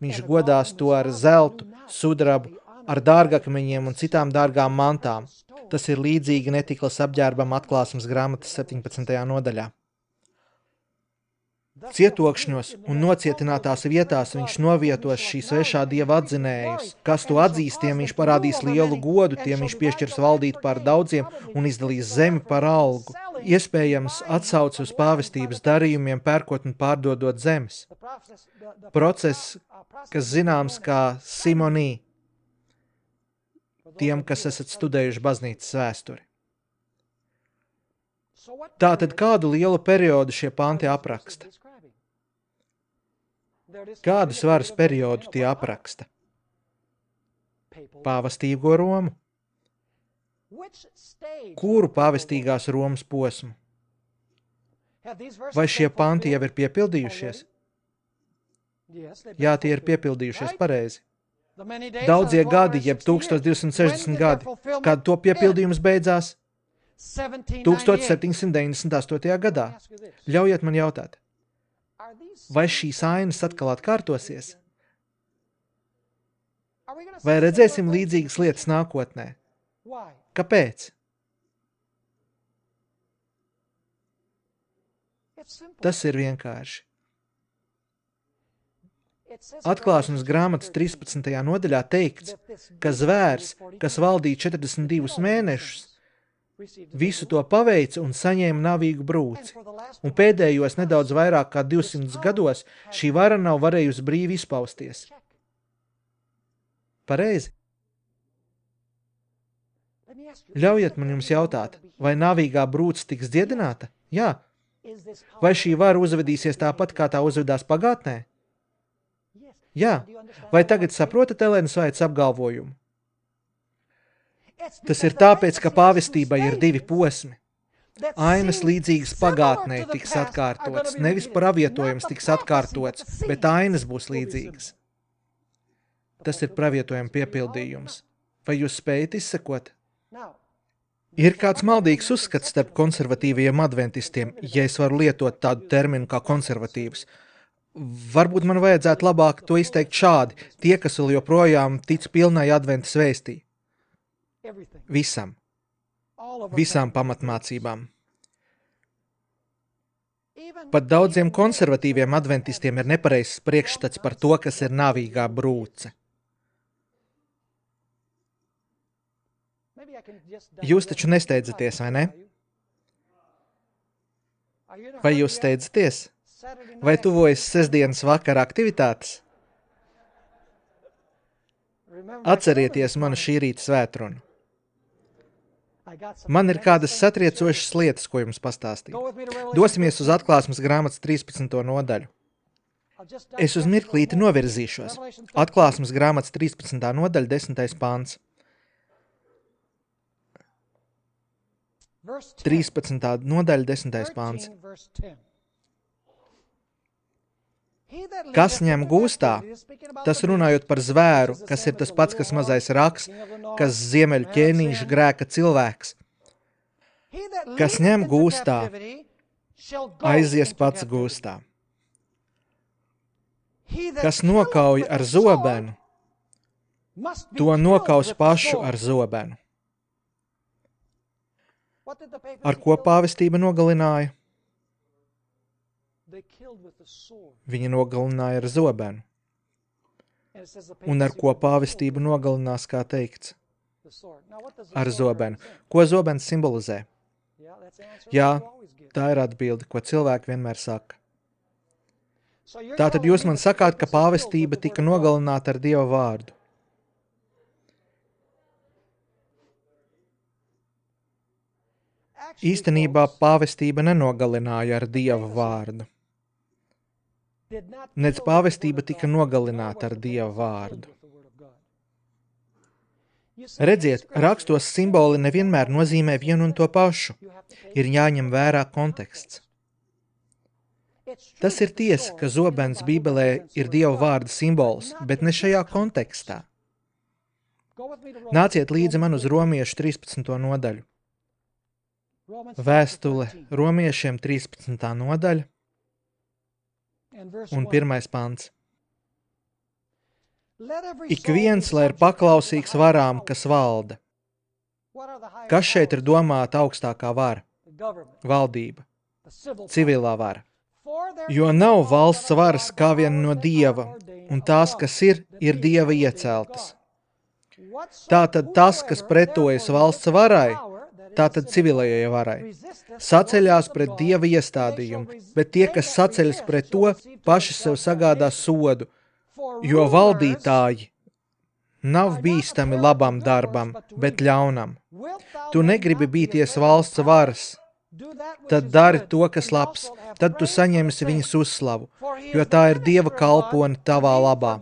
Viņš godās to ar zeltu, sudrabu, ar dārgakmeņiem un citām dārgām mantām. Tas ir līdzīgi netiklas apģērbam atklāsmes grāmatas septiņpadsmitajā nodaļā. Cietokšņos un nocietinātās vietās viņš novietos šī svešā dieva atzinējus. Kas to atzīst, tiem viņš parādīs lielu godu, tiem viņš piešķirs valdīt pār daudziem un izdalīs zemi par algu. Iespējams atsauc uz pāvestības darījumiem, pērkot un pārdodot zemes. Process, kas zināms kā simonī, tiem, kas esat studējuši baznīcas vēsturi. Tātad kādu lielu periodu šie panti apraksta? Kādus varas periodu tie apraksta? Pāvestīgo Romu. Kuru pāvestīgās Romas posmu? Vai šie panti jau ir piepildījušies? Jā, tie ir piepildījušies pareizi. Daudzie gadi, jeb tūkstoš divsimt sešdesmit gadi, kad to piepildījums beidzās? tūkstoš septiņsimt deviņdesmit astotajā gadā. Ļaujiet man jautāt, vai šīs ainas atkal atkārtosies? Vai redzēsim līdzīgas lietas nākotnē? Kāpēc? Tas ir vienkārši. Atklāsmes grāmatas trīspadsmitajā nodaļā teikts, ka zvērs, kas valdīja četrdesmit divus mēnešus, visu to paveica un saņēma navīgu brūci, un pēdējos nedaudz vairāk kā divsimt gados šī vara nav varējusi brīvi izpausties. Pareizi? Ļaujiet man jums jautāt, vai navīgā brūce tiks dziedināta? Jā. Vai šī vara uzvedīsies tāpat, kā tā uzvedās pagātnē? Jā. Vai tagad saprotat Elenas Vaitas apgalvojumu? Tas ir tāpēc, ka pāvestībai ir divi posmi. Ainas līdzīgas pagātnē tiks atkārtotas, nevis pravietojums tiks atkārtots, bet ainas būs līdzīgas. Tas ir pravietojuma piepildījums. Vai jūs spējat izsekot? Ir kāds maldīgs uzskats starp konservatīviem adventistiem, ja es varu lietot tādu terminu kā konservatīvs. Varbūt man vajadzētu labāk to izteikt šādi, tie, kas vēl joprojām tic pilnai adventas vēstī. Visam. Visām pamatmācībām. Pat daudziem konservatīviem adventistiem ir nepareizs priekšstats par to, kas ir nāvīgā brūce. Jūs taču nesteidzaties, vai ne? Vai jūs steidzaties? Vai tuvojas sestdienas vakara aktivitātes? Atcerieties manu šī rīta svētrunu. Man ir kādas satriecošas lietas, ko jums pastāstīt. Dosimies uz Atklāsmes grāmatas trīspadsmito nodaļu. Es uz mirklīti novirzīšos. Atklāsmes grāmatas trīspadsmitā nodaļa, desmitais pāns. trīspadsmitā nodaļa, desmitais pāns. Kas ņem gūstā, tas runājot par zvēru, kas ir tas pats, kas mazais raks, kas ziemeļu ķēniņš grēka cilvēks. Kas ņem gūstā, aizies pats gūstā. Kas nokauj ar zobenu, to nokaus pašu ar zobenu. Ar ko pāvestība nogalināja? Viņa nogalināja ar zobenu. Un ar ko pāvestība nogalinās, kā teikts? Ar zobenu. Ko zobens simbolizē? Jā, tā ir atbilde, ko cilvēki vienmēr saka. Tātad jūs man sakāt, ka pāvestība tika nogalināta ar Dieva vārdu. Īstenībā pāvestība nenogalināja ar Dieva vārdu. Nec pāvestība tika nogalināta ar Dieva vārdu. Redziet, rakstos simboli nevienmēr nozīmē vienu un to pašu. Ir jāņem vērā konteksts. Tas ir tiesa, ka zobens Bībelē ir Dieva vārda simbols, bet ne šajā kontekstā. Nāciet līdzi man uz Romiešu trīspadsmito nodaļu. Vēstule Romiešiem trīspadsmitā nodaļa un pirmais pants. Ik viens, lai ir paklausīgs varām, kas valda. Kas šeit ir domāta augstākā vara? Valdība, civilā vara. Jo nav valsts varas kā vien no Dieva, un tās, kas ir, ir Dieva ieceltas. Tātad tas, kas pretojas valsts varai, tātad civilajai varai, saceļās pret Dieva iestādījumu, bet tie, kas saceļas pret to, paši sev sagādā sodu, jo valdītāji nav bīstami labam darbam, bet ļaunam. Tu negribi bīties valsts varas, tad dari to, kas labs, tad tu saņemsi viņas uzslavu, jo tā ir Dieva kalpone tavā labā.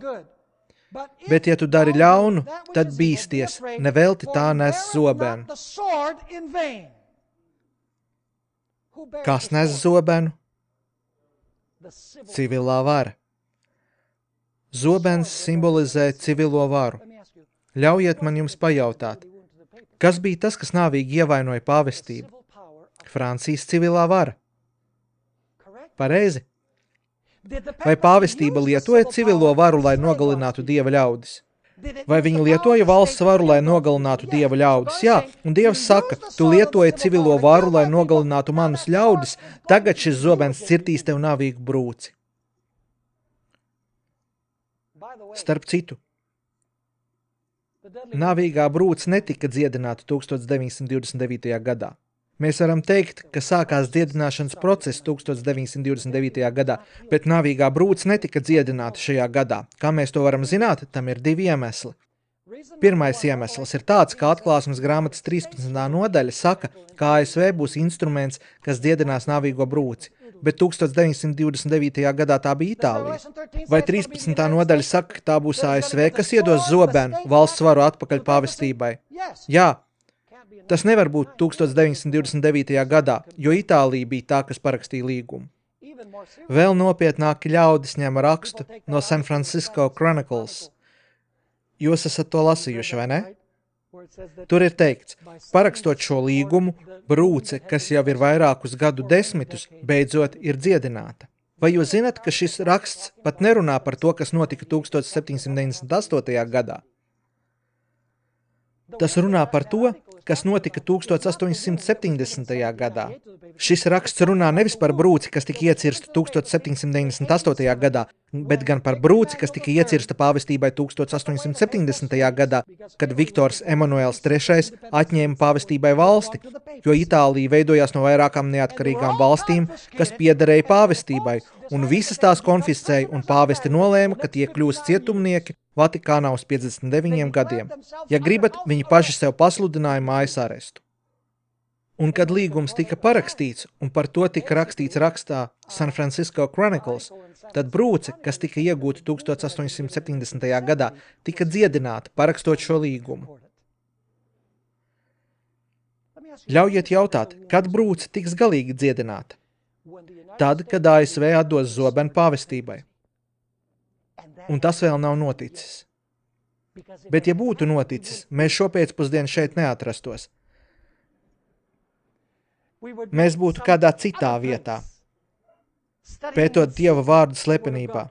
Bet, ja tu dari ļaunu, tad bīsties, nevelti tā nes zobenu. Kas nes zobenu? Civilā vara. Zobens simbolizē civilo varu. Ļaujiet man jums pajautāt, kas bija tas, kas nāvīgi ievainoja pāvestību? Francijas civilā vara. Pareizi? Vai pāvestība lietoja civilo varu, lai nogalinātu Dieva ļaudis? Vai viņi lietoja valsts varu, lai nogalinātu Dieva ļaudis? Jā, un Dievs saka, tu lietoji civilo varu, lai nogalinātu manus ļaudis, tagad šis zobens cirtīs tev nāvīgu brūci. Starp citu, nāvīgā brūce netika dziedināta tūkstoš deviņsimt divdesmit devītajā gadā. Mēs varam teikt, ka sākās dziedināšanas process tūkstoš deviņsimt divdesmit devītajā gadā, bet nāvīgā brūce netika dziedināta šajā gadā. Kā mēs to varam zināt, tam ir divi iemesli. Pirmais iemesls ir tāds, ka Atklāsmes grāmatas trīspadsmitā nodaļa saka, ka A S V būs instruments, kas dziedinās nāvīgo brūci, bet tūkstoš deviņsimt divdesmit devītajā gadā tā bija Itālija. Vai trīspadsmitā nodaļa saka, ka tā būs A S V, kas iedos zobenu valsts varu atpakaļ pāvestībai? Jā. Tas nevar būt tūkstoš deviņsimt divdesmit devītajā gadā, jo Itālija bija tā, kas parakstīja līgumu. Vēl nopietnāki ļaudis ņem rakstu no San Francisco Chronicles. Jūs esat to lasījuši, vai ne? Tur ir teikts, parakstot šo līgumu, brūce, kas jau ir vairākus gadu desmitus, beidzot ir dziedināta. Vai jūs zināt, ka šis raksts pat nerunā par to, kas notika tūkstoš septiņsimt deviņdesmit astotajā gadā? Tas runā par to, kas notika tūkstoš astoņsimt septiņdesmitajā gadā. Šis raksts runā nevis par brūci, kas tika iecirsta tūkstoš septiņsimt deviņdesmit astotajā gadā, bet gan par brūci, kas tika iecirsta pāvestībai tūkstoš astoņsimt septiņdesmitajā gadā, kad Viktors Emanuels trešais atņēma pāvestībai valsti, jo Itālija veidojās no vairākām neatkarīgām valstīm, kas piederēja pāvestībai, un visas tās konfiscēja, un pāvesti nolēma, ka tie kļūs cietumnieki Vatikānā uz piecdesmit deviņiem gadiem. Ja gribat, viņi paši sev pasludināja mājas arestu. Un kad līgums tika parakstīts, un par to tika rakstīts rakstā San Francisco Chronicles, tad brūce, kas tika iegūta tūkstoš astoņsimt septiņdesmitajā gadā, tika dziedināta, parakstot šo līgumu. Ļaujiet jautāt, kad brūce tiks galīgi dziedināta? Tad, kad A S V atdos zobenu pāvestībai. Un tas vēl nav noticis. Bet ja būtu noticis, mēs šopēcpusdien šeit neatrastos. Mēs būtu kādā citā vietā, pētot Dieva vārdu slepenībā.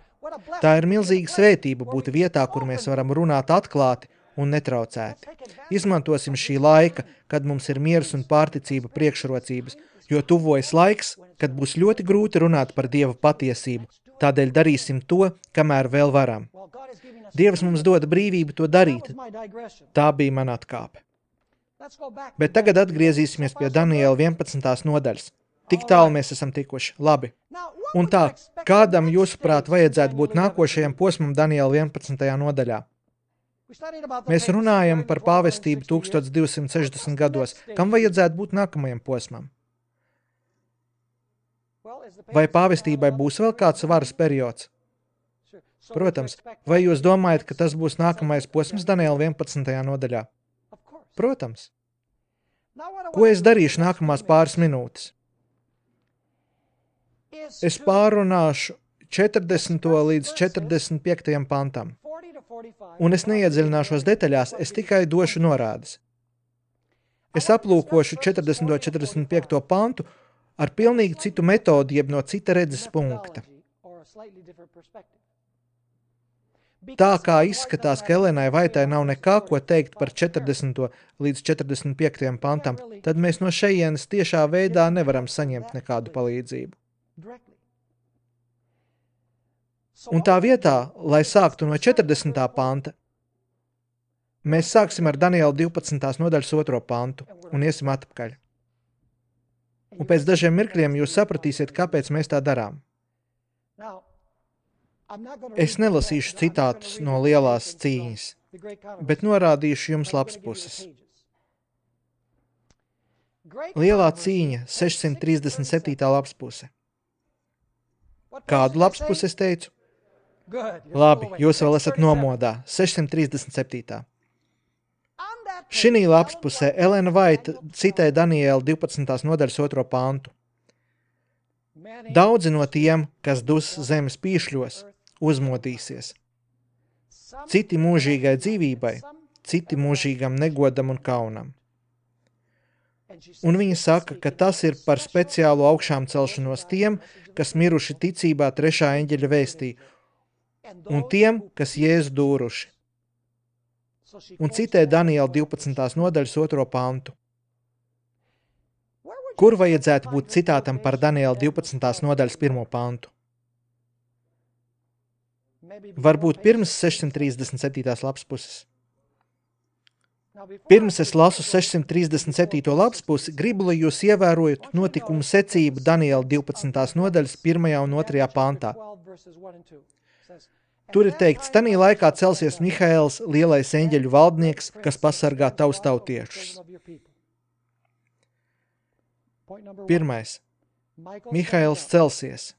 Tā ir milzīga svētība būt vietā, kur mēs varam runāt atklāti un netraucēti. Izmantosim šī laika, kad mums ir miers un pārticība priekšrocības, jo tuvojas laiks, kad būs ļoti grūti runāt par Dieva patiesību. Tādēļ darīsim to, kamēr vēl varam. Dievs mums dod brīvību to darīt. Tā bija mana atkāpe. Bet tagad atgriezīsimies pie Daniela vienpadsmitās nodaļas. Tik tālu mēs esam tikuši. Labi. Un tā, kādam jūsuprāt vajadzētu būt nākošajam posmam Daniela vienpadsmitajā nodaļā? Mēs runājam par pāvestību tūkstoš divsimt sešdesmit gados. Kam vajadzētu būt nākamajam posmam? Vai pāvestībai būs vēl kāds varas periods? Protams. Vai jūs domājat, ka tas būs nākamais posms Daniela vienpadsmitajā nodaļā? Protams. Ko es darīšu nākamās pāris minūtes? Es pārunāšu četrdesmito līdz četrdesmit piektajam pantam. Un es neiedziļināšos detaļās, es tikai došu norādes. Es aplūkošu četrdesmito četrdesmit piekto pantu ar pilnīgi citu metodi, jeb no cita redzes punkta. Tā kā izskatās, ka Elenai Vaitai nav nekā, ko teikt par četrdesmito līdz četrdesmit piektajam pantam, tad mēs no šejienes tiešā veidā nevaram saņemt nekādu palīdzību. Un tā vietā, lai sāktu no četrdesmitā panta, mēs sāksim ar Daniela divpadsmitās nodaļas otro pantu un iesim atpakaļ. Un pēc dažiem mirkļiem jūs sapratīsiet, kāpēc mēs tā darām. Es nelasīšu citātus no lielās cīņas, bet norādīšu jums labs puses. Lielā cīņa, sešsimt trīsdesmit septītā labs puse. Kādu labs pusi es teicu? Labi, jūs vēl esat nomodā, sešsimt trīsdesmit septītā. Šinī labs pusē Elena Vaita citē Daniela divpadsmitās nodaļas otro pantu. Daudzi no tiem, kas dus zemes pīšļos, uzmodīsies. Citi mūžīgai dzīvībai, citi mūžīgam negodam un kaunam. Un viņa saka, ka tas ir par speciālu augšām celšanos tiem, kas miruši ticībā trešā eņģeļa vēstī, un tiem, kas Jēzu dūruši. Un citē Daniela divpadsmitās nodaļas otro pantu. Kur vajadzētu būt citātam par Daniela divpadsmitās nodaļas pirmo pantu? Varbūt pirms sešsimt trīsdesmit septītās lapas puses. Pirms es lasu sešsimt trīsdesmit septīto lapas pusi, gribu, lai jūs ievērojat notikumu secību Daniela divpadsmitās nodaļas pirmajā un otrajā pantā. Tur ir teikts, tanī laikā celsies Mihaēls, lielais eņģeļu valdnieks, kas pasargā tavus tautiešus. Pirmais. Mihaēls celsies.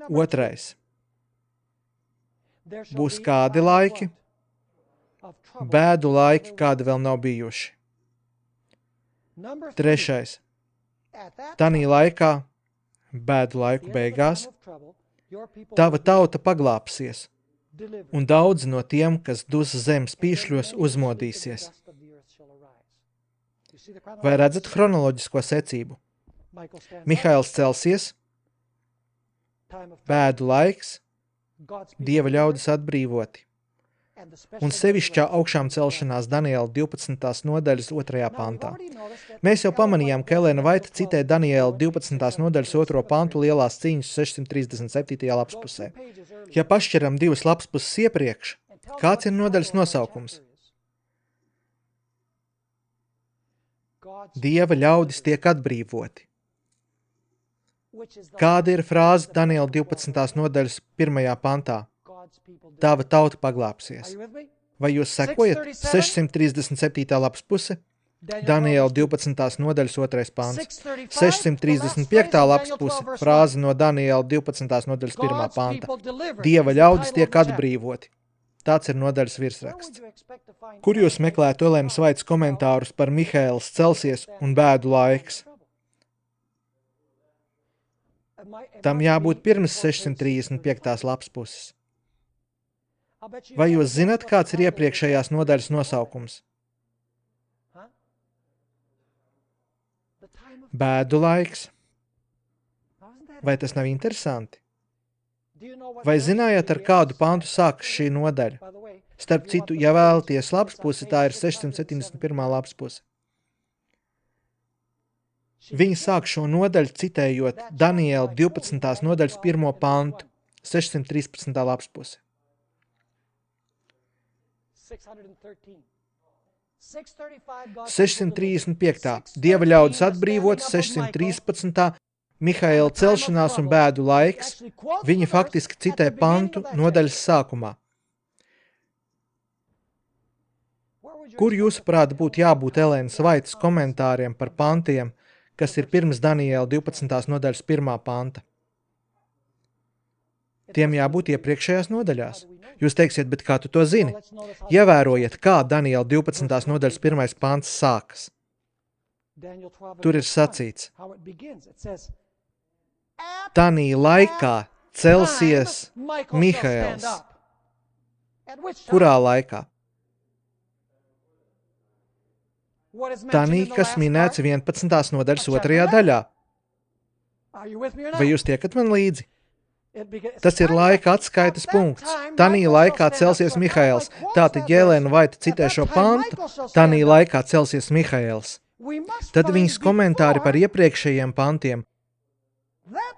Otrais. Būs kādi laiki, bēdu laiki, kādi vēl nav bijuši. Trešais. Tanī laikā, bēdu laiku beigās, tava tauta paglāpsies, un daudz no tiem, kas dus zemes pīšļos, uzmodīsies. Vai redzat chronoloģisko secību? Mihails celsies, bēdu laiks, Dieva ļaudis atbrīvoti, un sevišķā augšām celšanās Daniela divpadsmitās nodaļas otrajā pantā. Mēs jau pamanījām, ka Elēna Vaita citē Daniela divpadsmitās nodaļas otro pantu lielās cīņas sešsimt trīsdesmit septītajā lapspusē. Ja pašķiram divas lapspuses iepriekš, kāds ir nodaļas nosaukums? Dieva ļaudis tiek atbrīvoti. Kāda ir frāze Daniela divpadsmitās nodaļas pirmajā pantā? Tava tauta paglāpsies. Vai jūs sekojat? sešsimt trīsdesmit septītā lapspuse, Daniela divpadsmitās nodaļas otrais pants. sešsimt trīsdesmit piektā lapspuse, frāze no Daniela divpadsmitās nodaļas pirmā panta. Dieva ļaudis tiek atbrīvoti. Tāds ir nodaļas virsraksts. Kur jūs meklētu Elēnas Vaitas komentārus par Mihails celsies un bēdu laiks? Tam jābūt pirms sešsimt trīsdesmit piektās lapspuses. Vai jūs zināt, kāds ir iepriekšējās nodaļas nosaukums? Bēdu laiks. Vai tas nav interesanti? Vai zinājāt, ar kādu pantu sākas šī nodaļa? Starp citu, ja vēlaties lapspusi, tā ir sešsimt septiņdesmit pirmā lapspuse. Viņi sāk šo nodaļu citējot Daniela divpadsmitās nodaļas pirmo pantu, sešsimt trīspadsmitā lapspuse. sešsimt trīsdesmit piektā. Dieva ļaudis atbrīvots, sešsimt trīspadsmitā. Mihaila celšanās un bēdu laiks. Viņi faktiski citē pantu nodaļas sākumā. Kur jūsuprāt būtu jābūt Elēnas Vaitas komentāriem par pantiem, kas ir pirms Daniela divpadsmitās nodaļas pirmā panta? Tiem jābūt iepriekšējās nodaļās. Jūs teiksiet, bet kā tu to zini? Ievērojiet, kā Daniela divpadsmitās nodaļas pirmais pants sākas. Tur ir sacīts: Tanī laikā celsies Mihails. Kurā laikā? Tanī, kas minēts vienpadsmitās nodaļas otrajā daļā. Vai jūs tiekat man līdzi? Tas ir laika atskaites punkts. Tanī laikā celsies Mihails. Tātad, ja Elēna Vaita citē šo pantu, tanī laikā celsies Mihails. Tad viņas komentāri par iepriekšējiem pantiem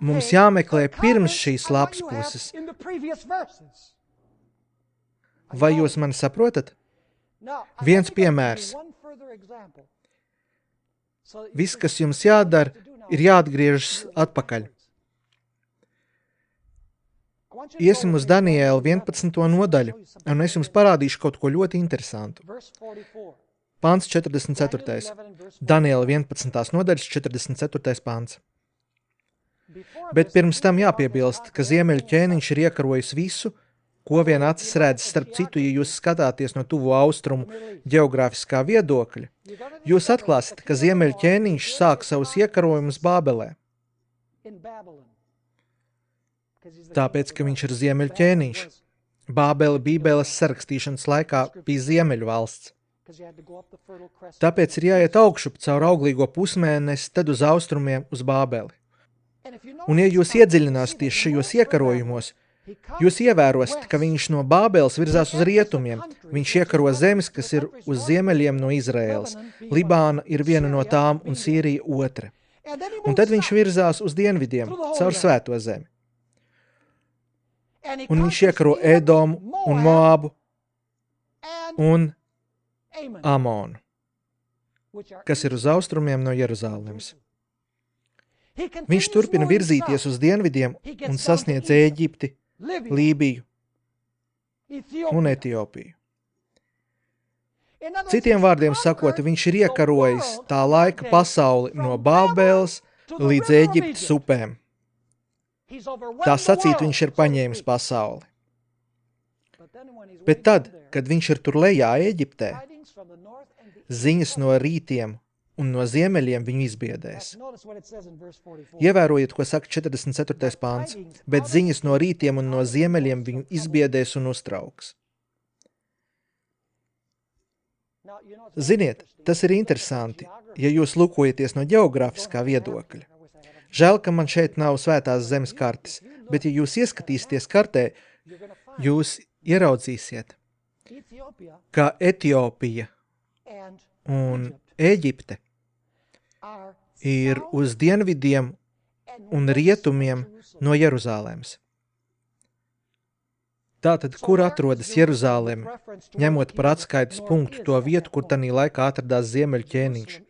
mums jāmeklē pirms šīs lapspuses. Vai jūs mani saprotat? Viens piemērs. Viss, kas jums jādara, ir jāatgriežas atpakaļ. Iesim uz Daniela vienpadsmito nodaļu, un es jums parādīšu kaut ko ļoti interesantu. Pants četrdesmit ceturtais. Daniela vienpadsmitās nodaļas četrdesmit ceturtais pants. Bet pirms tam jāpiebilst, ka ziemeļu ķēniņš ir iekarojis visu, ko vien acis redz. Starp citu, ja jūs skatāties no tuvo austrumu ģeogrāfiskā viedokļa, jūs atklāsiet, ka ziemeļu ķēniņš sāk savus iekarojumus Bābelē. Tāpēc, ka viņš ir ziemeļu ķēniņš. Bābele Bībeles sarakstīšanas laikā bija ziemeļu valsts. Tāpēc ir jāiet augšup caur auglīgo pusmēnesi, tad uz austrumiem uz Bābeli. Un ja jūs iedziļināsieties šajos iekarojumos, jūs ievērosiet, ka viņš no Bābeles virzās uz rietumiem. Viņš iekaro zemes, kas ir uz ziemeļiem no Izraēlas. Libāna ir viena no tām un Sīrija otra. Un tad viņš virzās uz dienvidiem, caur svēto zemi. Un viņš iekaro Edomu un Moabu un Amonu, kas ir uz austrumiem no Jeruzālemes. Viņš turpina virzīties uz dienvidiem un sasniedz Ēģipti, Lībiju un Etiopiju. Citiem vārdiem sakot, viņš ir iekarojis tā laika pasauli no Bābeles līdz Ēģiptes upēm. Tā sacīt, viņš ir paņēmis pasauli. Bet tad, kad viņš ir tur lejā Ēģiptē, ziņas no rītiem un no ziemeļiem viņu izbiedēs. Notice what it says in verse forty-four. Ievērojiet, ko saka četrdesmit ceturtais pāns, bet ziņas no rītiem un no ziemeļiem viņu izbiedēs un uztrauks. Now, you know, it's Ziniet, tas ir interesanti, ja jūs lūkojaties no ģeogrāfiskā viedokļa. Žēl, ka man šeit nav svētās zemes kartes, bet ja jūs ieskatīsieties kartē, you're going to find jūs ieraudzīsiet, Ethiopia ka Etiopija and un Egypt Ēģipte are ir south uz dienvidiem and un west rietumiem of Jerusalem. no Jeruzālēmas. Tātad, kur atrodas Jeruzāleme, ņemot par atskaites punktu to vietu, kur tanī laikā atradās ziemeļu ķēniņš?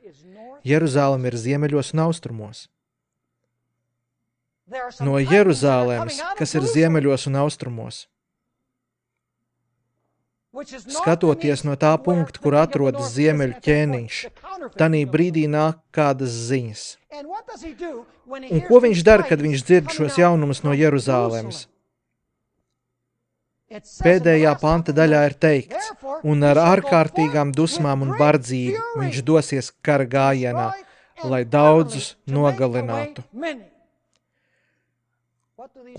Jeruzāleme ir ziemeļos un austrumos. No Jeruzālēmas, kas ir ziemeļos un austrumos. Skatoties no tā punkta, kur atrodas ziemeļu ķēniņš, tanī brīdī nāk kādas ziņas. Un ko viņš dara, kad viņš dzird šos jaunumus no Jeruzālēmas? Pēdējā panta daļā ir teikts, un ar ārkārtīgām dusmām un bardzību viņš dosies kara gājienā, lai daudzus nogalinātu.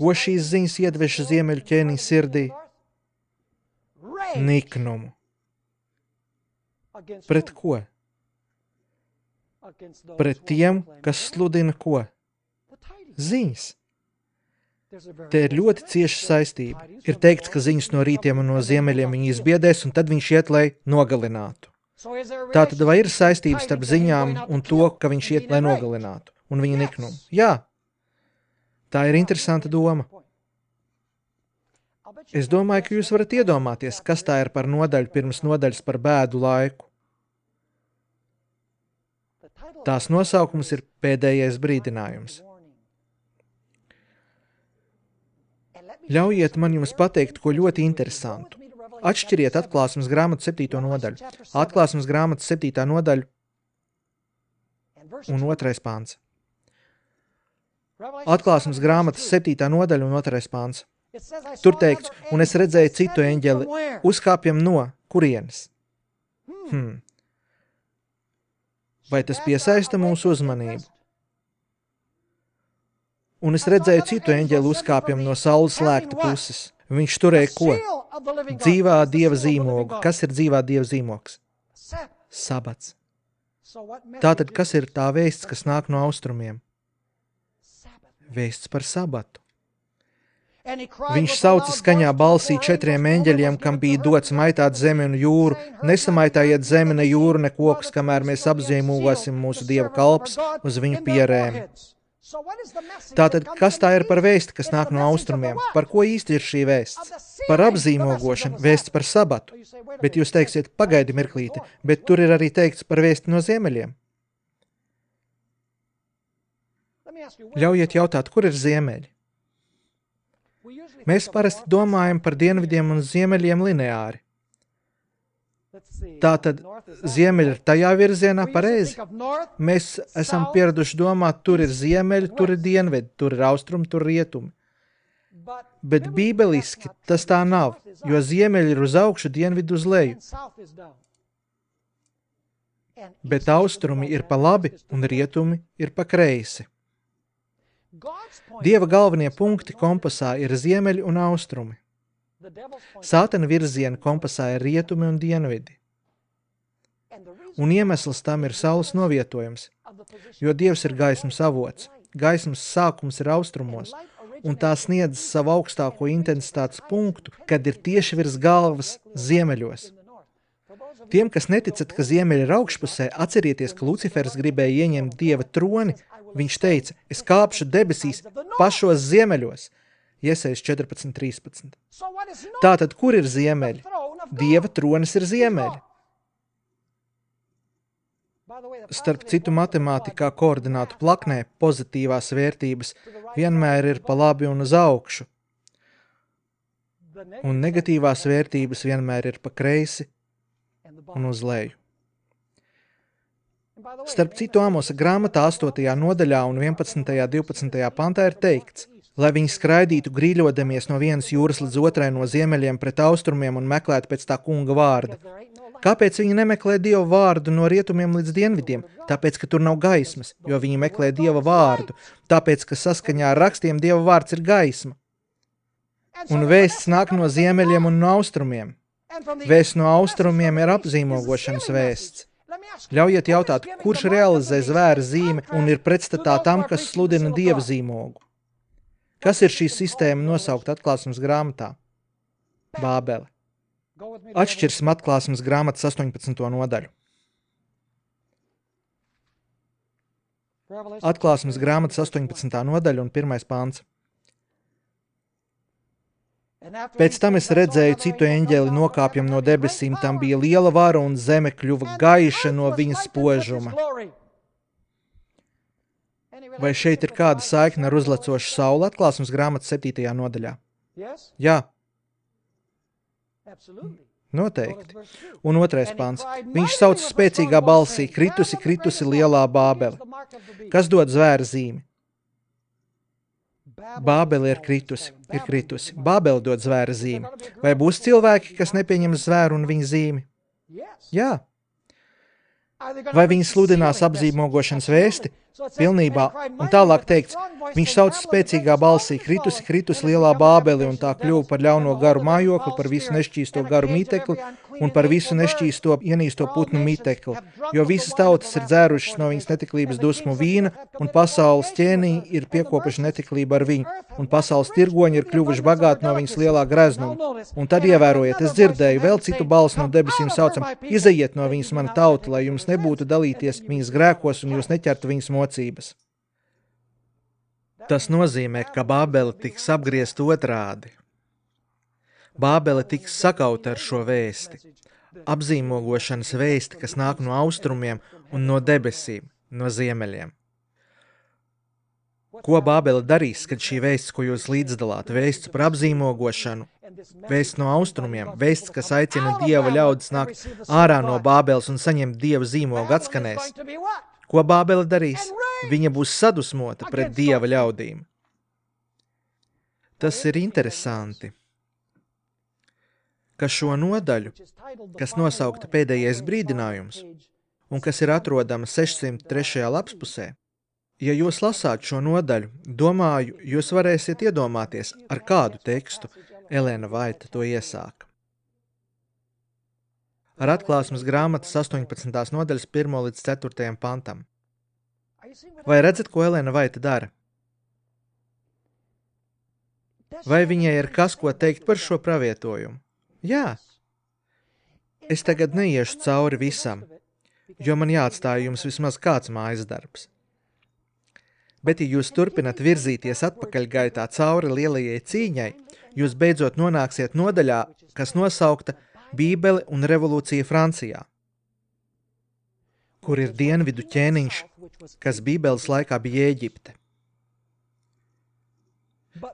Ko šīs ziņas iedveša ziemeļu ķēniņa sirdī? Niknumu. Pret ko? Pret tiem, kas sludina ko? Ziņas. Te ir ļoti cieša saistība. Ir teikts, ka ziņas no rītiem un no ziemeļiem viņi izbiedēs, un tad viņš iet, lai nogalinātu. Tātad vai ir saistības starp ziņām un to, ka viņš iet, lai nogalinātu, un viņa niknumu? Jā. Tā ir interesanta doma. Es domāju, ka jūs varat iedomāties, kas tā ir par nodaļu pirms nodaļas par bēdu laiku. Tās nosaukums ir pēdējais brīdinājums. Ļaujiet man jums pateikt, ko ļoti interesantu. Atšķiriet atklāsmes grāmatu septīto nodaļu. Atklāsmes grāmatas septītā nodaļa un otrais pāns. Atklāsmes grāmatas septītā nodaļa un otrais pāns. Tur teikts, un es redzēju citu eņģeli, uzkāpjam no kurienes. Hmm. Vai tas piesaista mūsu uzmanību? Un es redzēju citu eņģeli uzkāpjam no saules slēgta puses. Viņš turēja ko? Dzīvā Dieva zīmogu. Kas ir dzīvā Dieva zīmogs? Sabats. Tātad, kas ir tā vēsts, kas nāk no austrumiem? Vēsts par sabatu. Viņš sauca skaņā balsī četriem eņģeļiem, kam bija dots maitāt zemi un jūru. Nesamaitājiet zemi, ne jūru, ne kokus, kamēr mēs apzīmogosim mūsu Dieva kalpus uz viņu pierēm. Tātad, kas tā ir par vēsti, kas nāk no austrumiem? Par ko īsti ir šī vēsts? Par apzīmogošanu, vēsts par sabatu. Bet jūs teiksiet, pagaidi mirklīti, bet tur ir arī teikts par vēsti no ziemeļiem. Ļaujiet jautāt, kur ir ziemeļi? Mēs parasti domājam par dienvidiem un ziemeļiem lineāri. Tātad ziemeļi ir tajā virzienā pareizi. Mēs esam pieraduši domāt, tur ir ziemeļi, tur ir dienvedi, tur ir austrumi, tur ir rietumi. Bet bībeliski tas tā nav, jo ziemeļi ir uz augšu, dienvidi uz leju. Bet austrumi ir pa labi un rietumi ir pa kreisi. Dieva galvenie punkti kompasā ir ziemeļi un austrumi. Sātana virziena kompasā ir rietumi un dienvidi. Un iemesls tam ir saules novietojums, jo Dievs ir gaismas avots. Gaismas sākums ir austrumos, un tā sniedz savu augstāko intensitātes punktu, kad ir tieši virs galvas ziemeļos. Tiem, kas neticat, ka ziemeļi ir augšpusē, atcerieties, ka Lucifers gribēja ieņemt Dieva troni. Viņš teica, es kāpšu debesīs pašos ziemeļos. Iesajas četrpadsmit trīspadsmit. Tātad, kur ir ziemeļi? Dieva tronis ir ziemeļi. Starp citu, matemātikā koordinātu plaknē pozitīvās vērtības vienmēr ir pa labi un uz augšu, un negatīvās vērtības vienmēr ir pa kreisi un uz leju. Starp citu, Āmosa grāmatā astotajā nodaļā un vienpadsmitajā divpadsmitajā pantā ir teikts, lai viņi skraidītu grīļodamies no vienas jūras līdz otrai no ziemeļiem pret austrumiem un meklētu pēc tā kunga vārda. Kāpēc viņi nemeklē Dieva vārdu no rietumiem līdz dienvidiem? Tāpēc, ka tur nav gaismas, jo viņi meklē Dieva vārdu. Tāpēc, ka saskaņā ar rakstiem Dieva vārds ir gaisma. Un vēsts nāk no ziemeļiem un no austrumiem. Vēsts no austrumiem ir apzīmogošanas vēsts. Ļaujiet jautāt, kurš realizē zvēra zīmi un ir pretstatā tam, kas sludina Dieva zīmogu? Kas ir šī sistēma nosaukt atklāsmes grāmatā? Bābele. Atšķirsim atklāsmes grāmatas astoņpadsmito nodaļu. Atklāsmes grāmatas astoņpadsmitā nodaļa un pirmais pants. Pēc tam es redzēju citu eņģeli nokāpjam no debesīm, tam bija liela vara un zeme kļuva gaiša no viņa spožuma. Vai šeit ir kāda saikne ar uzlecošu sauli atklāsmes grāmatas septītajā nodaļā? Jā. Noteikti. Un otrais pants. Viņš sauc spēcīgā balsī, kritusi, kritusi lielā Bābele. Kas dod zvēra zīmi? Bābele ir kritusi, ir kritusi. Bābele dod zvēra zīmi. Vai būs cilvēki, kas nepieņem zvēru un viņa zīmi? Jā. Vai viņi sludinās apzīmogošanas vēsti? Pilnībā. Un tālāk teikts, viņš sauc spēcīgā balsī, kritusi, kritusi lielā Bābeli un tā kļuva par ļauno garu mājokli, par visu nešķīsto garu mītekli un par visu nešķīsto ienīsto putnu mītekli, jo visas tautas ir dzērušas no viņas netiklības dusmu vīna un pasaules ķēnī ir piekopuši netiklību ar viņu un pasaules tirgoņi ir kļuvuši bagāti no viņas lielā greznuma. Un tad ievērojiet, es dzirdēju vēl citu balsi no debesīm saucam, izejiet no viņas mana tauta, lai jums nebūtu dalīties viņas grēkos un jūs neķertu viņas mocības. Tas nozīmē, ka Bābele tiks apgriezt otrādi. Bābele tiks sakauta ar šo vēsti. Apzīmogošanas vēsti, kas nāk no austrumiem un no debesīm, no ziemeļiem. Ko Bābele darīs, kad šī vēsts, ko jūs līdzdalāt, vēsts par apzīmogošanu, vēsts no austrumiem, vēsts, kas aicina Dieva ļaudis nākt ārā no Bābeles un saņemt Dieva zīmogu atskanēs? Ko Bābele darīs? Viņa būs sadusmota pret Dieva ļaudīm. Tas ir interesanti, ka šo nodaļu, kas nosaukta pēdējais brīdinājums, un kas ir atrodama sešsimt trešajā lapspusē, ja jūs lasāt šo nodaļu, domāju, jūs varēsiet iedomāties, ar kādu tekstu Elena Vaita to iesāka. Ar atklāsmes grāmatas astoņpadsmitās nodaļas pirmo līdz ceturtajam pantam. Vai redzat, ko Elena Vaita dara? Vai viņai ir kas, ko teikt par šo pravietojumu? Jā. Es tagad neiešu cauri visam, jo man jāatstāj jums vismaz kāds mājas darbs. Bet, ja jūs turpinat virzīties atpakaļgaitā cauri lielajai cīņai, jūs beidzot nonāksiet nodaļā, kas nosaukta Bībele un revolūcija Francijā, kur ir dienvidu ķēniņš, kas Bībeles laikā bija Ēģipte.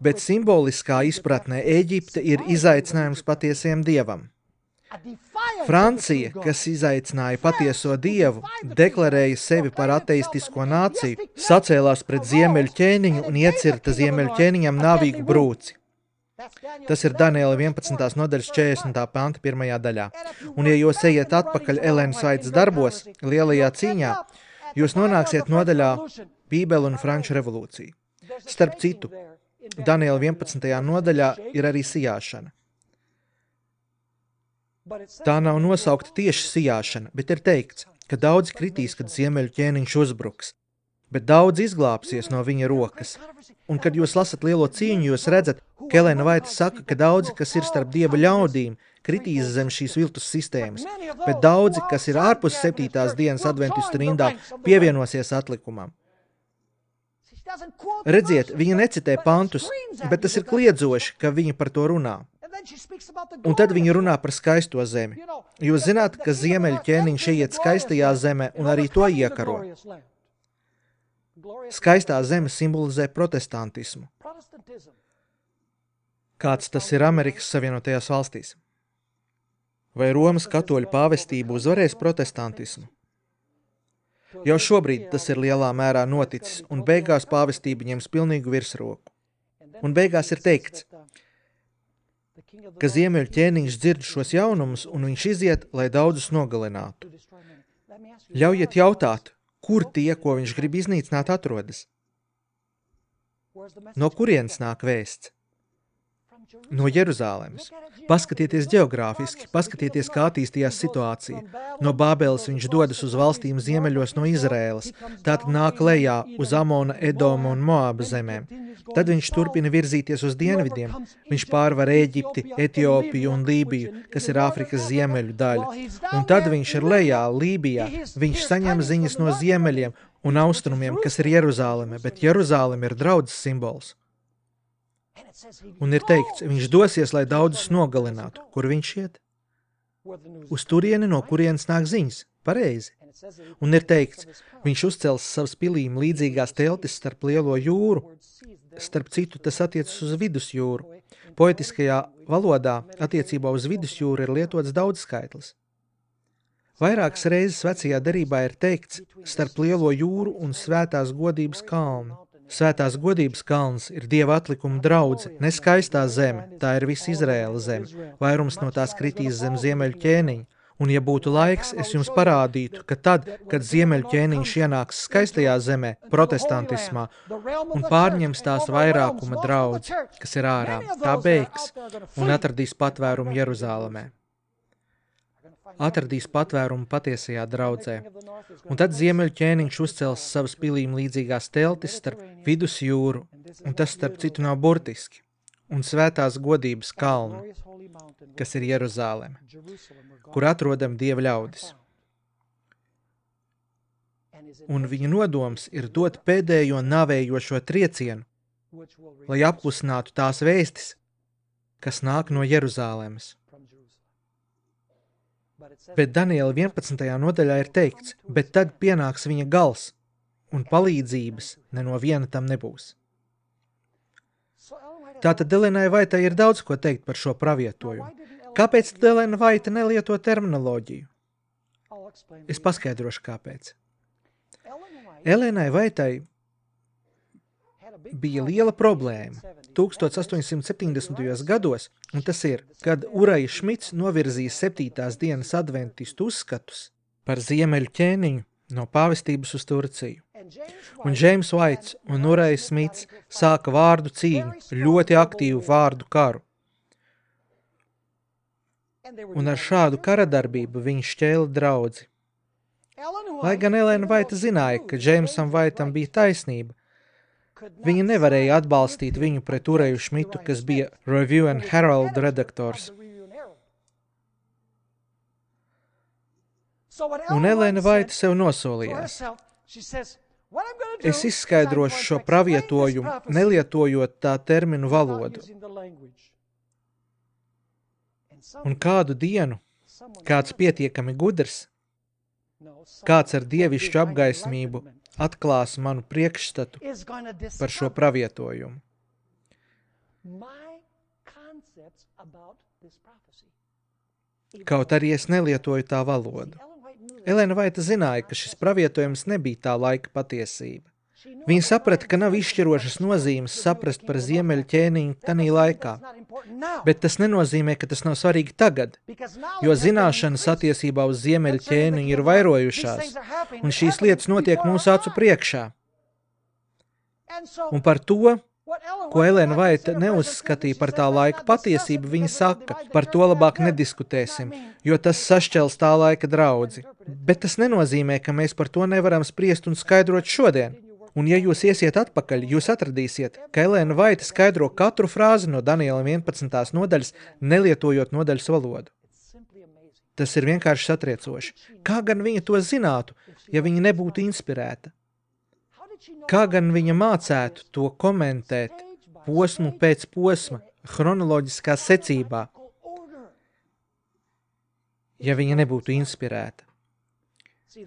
Bet simboliskā izpratnē Ēģipte ir izaicinājums patiesiem dievam. Francija, kas izaicināja patieso dievu, deklarēja sevi par ateistisko nāciju, sacēlās pret ziemeļu ķēniņu un iecirta ziemeļu ķēniņam nāvīgu brūci. Tas ir Daniela vienpadsmitās nodaļas četrdesmitā panta pirmajā daļā. Un ja jūs ejiet atpakaļ Elenas Vaitas darbos, lielajā cīņā, jūs nonāksiet nodaļā Bībele un Franču revolūcija. Starp citu, Daniela vienpadsmitajā nodaļā ir arī sijāšana. Tā nav nosaukta tieši sijāšana, bet ir teikts, ka daudzi kritīs, kad ziemeļu ķēniņš uzbruks, bet daudz izglābsies no viņa rokas. Un, kad jūs lasat lielo cīņu, jūs redzat, ka Elena Vaita saka, ka daudzi, kas ir starp dieva ļaudīm, kritīs zem šīs viltus sistēmas, bet daudzi, kas ir ārpus septītās dienas adventistu rindā, pievienosies atlikumam. Redziet, viņa necitē pantus, bet tas ir kliedzoši, ka viņa par to runā. Un tad viņa runā par skaisto zemi. Jūs zināt, ka ziemeļu ķēniņš ieiet skaistajā zemē un arī to iekaro. Skaistā zeme simbolizē protestantismu. Kāds tas ir Amerikas Savienotajās valstīs? Vai Romas katoļu pāvestība uzvarēs protestantismu? Jau šobrīd tas ir lielā mērā noticis, un beigās pāvestība ņems pilnīgu virsroku. Un beigās ir teikts, ka ziemeļu ķēniņš dzird šos jaunumus un viņš iziet, lai daudzus nogalinātu. Ļaujiet jautāt, kur tie, ko viņš grib iznīcināt, atrodas? No kurienes nāk vēsts? No Jeruzālemes. Paskatieties ģeogrāfiski, paskatieties, kā attīstījās situācija. No Bābeles viņš dodas uz valstīm ziemeļos no Izraēlas, tātad nāk lejā uz Amona, Edoma un Moāba zemēm. Tad viņš turpina virzīties uz dienvidiem. Viņš pārvar Ēģipti, Etiopiju un Lībiju, kas ir Āfrikas ziemeļu daļa. Un tad viņš ir lejā, Lībijā. Viņš saņem ziņas no ziemeļiem un austrumiem, kas ir Jeruzāleme, bet Jeruzāleme ir draudzes simbols. Un ir teikts, viņš dosies, lai daudzus nogalinātu. Kur viņš iet? Uz turieni, no kurienes nāk ziņas. Pareizi. Un ir teikts, viņš uzcels savas pilīm līdzīgās teltis starp lielo jūru. Starp citu, tas attiecas uz vidusjūru. Poetiskajā valodā attiecībā uz vidusjūru ir lietots daudzskaitlis. Vairākas reizes vecajā derībā ir teikts starp lielo jūru un svētās godības kalnu. Svētās godības kalns ir Dieva atlikuma draudze, ne skaistā zeme, tā ir visa Izraēla zeme. Vairums no tās kritīs zem ziemeļu ķēniņa. Un ja būtu laiks, es jums parādītu, ka tad, kad ziemeļu ķēniņš ienāks skaistajā zemē, protestantismā, un pārņems tās vairākuma draudzi, kas ir ārā, tā beigs un atradīs patvērumu Jeruzālemē. Atradīs patvērumu patiesajā draudzē. Un tad ziemeļu ķēniņš uzcels savas pilīm līdzīgās teltis starp vidusjūru, un tas starp citu nav burtiski, un svētās godības kalnu, kas ir Jeruzāleme, kur atrodam Dieva ļaudis. Un viņa nodoms ir dot pēdējo navējošo triecienu, lai apklusinātu tās vēstis, kas nāk no Jeruzālemes. Bet Daniela vienpadsmitajā nodaļā ir teikts, bet tad pienāks viņa gals, un palīdzības ne no viena tam nebūs. Tātad Elenai Vaitai ir daudz ko teikt par šo pravietojumu. Kāpēc Elena Vaita nelieto terminoloģiju? Es paskaidrošu, kāpēc. Elenai Vaitai bija liela problēma tūkstoš astoņsimt septiņdesmitajos gados, un tas ir, kad Uraja Šmits novirzīja septītās dienas adventistu uzskatus par ziemeļu ķēniņu no pāvestības uz Turciju. Un Džeims Vaits un Uraja Šmits sāka vārdu cīņu, ļoti aktīvu vārdu karu. Un ar šādu karadarbību viņi šķēla draudzi. Lai gan Elena Vaita zināja, ka Džeimsam Vaitam bija taisnība, viņa nevarēja atbalstīt viņu pret Uraju Šmitu, kas bija Review and Herald redaktors. Un Elena Vaita sev nosolījās. Es izskaidrošu šo pravietojumu, nelietojot tā terminu valodu. Un kādu dienu, kāds pietiekami gudrs, kāds ar dievišķu apgaismību atklās manu priekšstatu par šo pravietojumu. Kaut arī es nelietoju tā valodu. Elena Vaita zināja, ka šis pravietojums nebija tā laika patiesība. Viņa saprata, ka nav izšķirošas nozīmes saprast par ziemeļu ķēniņu tanī laikā. Bet tas nenozīmē, ka tas nav svarīgi tagad, jo zināšanas attiecībā uz ziemeļu ķēniņu ir vairojušās, un šīs lietas notiek mūsu acu priekšā. Un par to, ko Elena Vaita neuzskatīja par tā laika patiesību, viņa saka, par to labāk nediskutēsim, jo tas sašķels tā laika draudzi. Bet tas nenozīmē, ka mēs par to nevaram spriest un skaidrot šodien. Un ja jūs iesiet atpakaļ, jūs atradīsiet, ka Elena Vaita skaidro katru frāzi no Daniela vienpadsmitās nodaļas, nelietojot nodaļas valodu. Tas ir vienkārši satriecoši. Kā gan viņa to zinātu, ja viņa nebūtu inspirēta? Kā gan viņa mācētu to komentēt posmu pēc posma, chronoloģiskā secībā, ja viņa nebūtu inspirēta?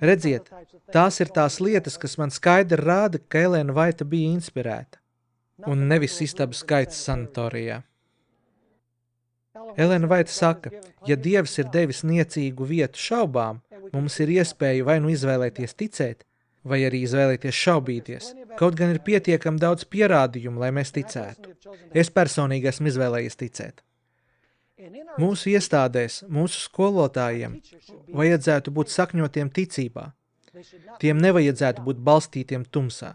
Redziet, tās ir tās lietas, kas man skaidri rāda, ka Elena Vaita bija inspirēta, un nevis istabas skaits sanatorijā. Elena Vaita saka, ja Dievs ir devis niecīgu vietu šaubām, mums ir iespēja vai nu izvēlēties ticēt, vai arī izvēlēties šaubīties. Kaut gan ir pietiekami daudz pierādījumu, lai mēs ticētu. Es personīgi esmu izvēlējies ticēt. Mūsu iestādēs, mūsu skolotājiem vajadzētu būt sakņotiem ticībā. Tiem nevajadzētu būt balstītiem tumsā.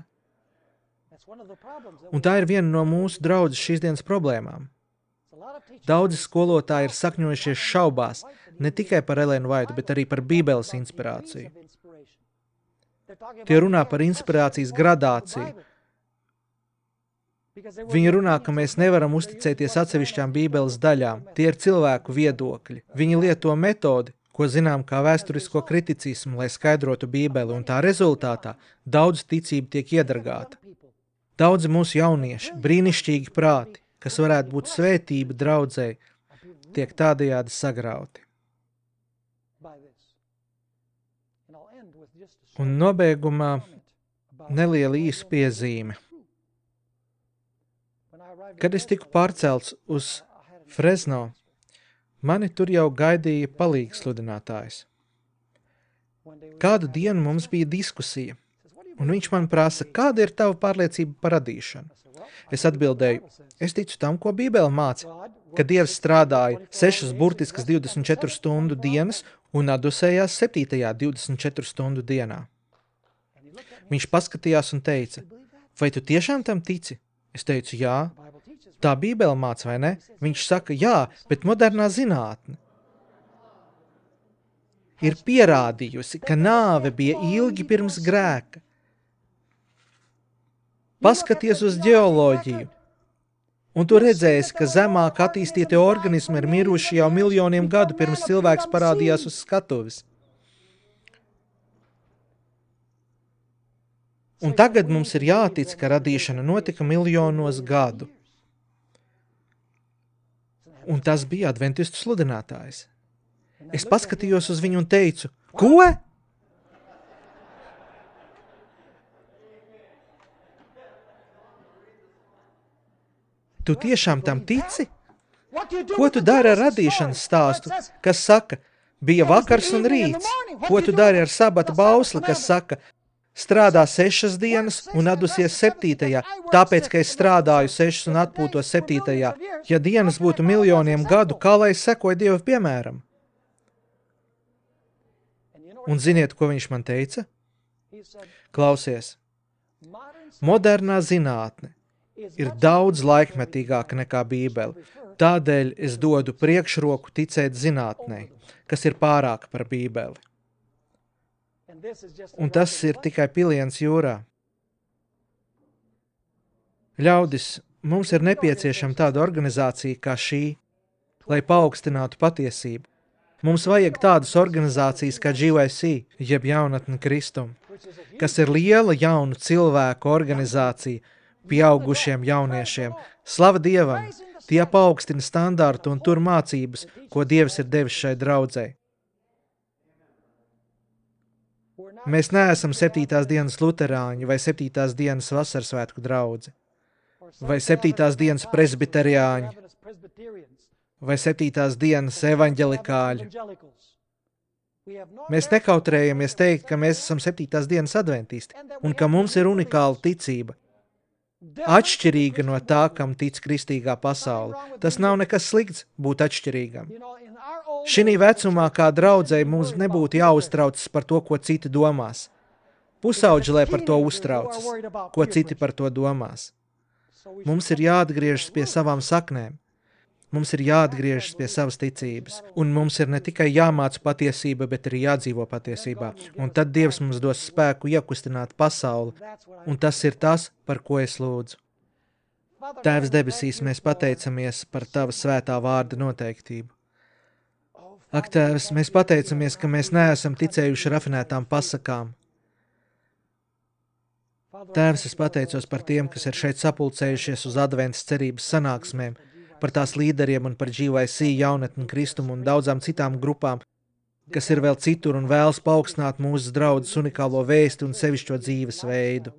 Un tā ir viena no mūsu draudzes šīs dienas problēmām. Daudzi skolotāji ir sakņojušies šaubās ne tikai par Elēnu Vaitu, bet arī par Bībeles inspirāciju. Tie runā par inspirācijas gradāciju. Viņi runā, ka mēs nevaram uzticēties atsevišķām Bībeles daļām. Tie ir cilvēku viedokļi. Viņi lieto metodi, ko zinām kā vēsturisko kriticismu, lai skaidrotu Bībeli, un tā rezultātā daudz ticība tiek iedragāta. Daudzi mūsu jaunieši, brīnišķīgi prāti, kas varētu būt svētība draudzei, tiek tādējādi sagrauti. Un nobeigumā neliela īsa piezīme. Kad es tiku pārcelts uz Fresno, mani tur jau gaidīja palīgsludinātājs. Kādu dienu mums bija diskusija, un viņš man prasa, kāda ir tava pārliecība par radīšanu? Es atbildēju, es ticu tam, ko Bībele māca, ka Dievs strādāja sešas burtiskas divdesmit četru stundu dienas un atdusējās septītajā divdesmit četru stundu dienā. Viņš paskatījās un teica, vai tu tiešām tam tici? Es teicu, jā. Tā Bībele māca, vai ne? Viņš saka, jā, bet modernā zinātne ir pierādījusi, ka nāve bija ilgi pirms grēka. Paskaties uz ģeoloģiju, un tu redzēsi, ka zemāk attīstītie organismi ir miruši jau miljoniem gadu pirms cilvēks parādījās uz skatuves. Un tagad mums ir jātic, ka radīšana notika miljonos gadu. Un tas bija adventistu sludinātājs. Es paskatījos uz viņu un teicu, ko? Tu tiešām tam tici? Ko tu dari ar radīšanas stāstu, kas saka, bija vakars un rīts? Ko tu dari ar sabata bausli, kas saka, strādā sešas dienas un atdusies septītajā, tāpēc, ka es strādāju sešas un atpūtos septītajā. Ja dienas būtu miljoniem gadu, kā lai es sekoju Dievu piemēram? Un ziniet, ko viņš man teica? Klausies, modernā zinātne ir daudz laikmetīgāka nekā Bībele. Tādēļ es dodu priekšroku ticēt zinātnei, kas ir pārāka par Bībeli. Un tas ir tikai piliens jūrā. Ļaudis, mums ir nepieciešama tāda organizācija kā šī, lai paaugstinātu patiesību. Mums vajag tādas organizācijas kā G Y C, jeb Jaunatne Kristum, kas ir liela jaunu cilvēku organizācija pieaugušiem jauniešiem. Slava Dievam, tie paaugstina standārtu un tur mācības, ko Dievs ir devis šai draudzei. Mēs neesam septītās dienas luterāņi vai septītās dienas vasarsvētku draudzi, vai septītās dienas presbiteriāņi, vai septītās dienas evaņģelikāļi. Mēs nekautrējamies teikt, ka mēs esam septītās dienas adventisti un ka mums ir unikāla ticība, atšķirīga no tā, kam tic kristīgā pasaule. Tas nav nekas slikts būt atšķirīgam. Šinī vecumā kā draudzei mums nebūtu jāuztraucas par to, ko citi domās. Pusauģi, lai par to uztraucas, ko citi par to domās. Mums ir jāatgriežas pie savām saknēm. Mums ir jāatgriežas pie savas ticības, un mums ir ne tikai jāmāca patiesība, bet arī jādzīvo patiesībā. Un tad Dievs mums dos spēku iekustināt pasauli, un tas ir tas, par ko es lūdzu. Tēvs debesīs, mēs pateicamies par Tava svētā vārda noteiktību. Ak, Tēvs, mēs pateicamies, ka mēs neesam ticējuši rafinētām pasakām. Tēvs, es pateicos par tiem, kas ir šeit sapulcējušies uz adventas cerības sanāksmēm, par tās līderiem un par G Y C, Jaunatni Kristumu un daudzām citām grupām, kas ir vēl citur un vēlas paaugstināt mūsu draudzes unikālo vēsti un sevišķo dzīves veidu.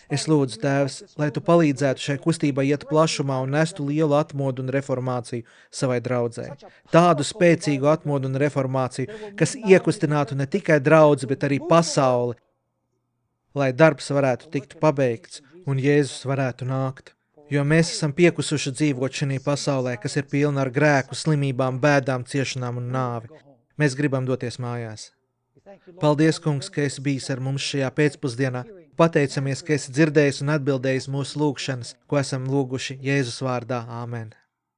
Es lūdzu, Tēvs, lai Tu palīdzētu šai kustībai iet plašumā un nestu lielu atmodu un reformāciju savai draudzei. Tādu spēcīgu atmodu un reformāciju, kas iekustinātu ne tikai draudzi, bet arī pasauli, lai darbs varētu tikt pabeigts un Jēzus varētu nākt. Jo mēs esam piekusuši dzīvot šajā pasaulē, kas ir pilna ar grēku, slimībām, bēdām, ciešanām un nāvi. Mēs gribam doties mājās. Paldies, kungs, ka esi bijis ar mums šajā pēcpusdienā. Pateicamies, ka esi dzirdējis un atbildējis mūsu lūgšanas, ko esam lūguši Jēzus vārdā. Āmen.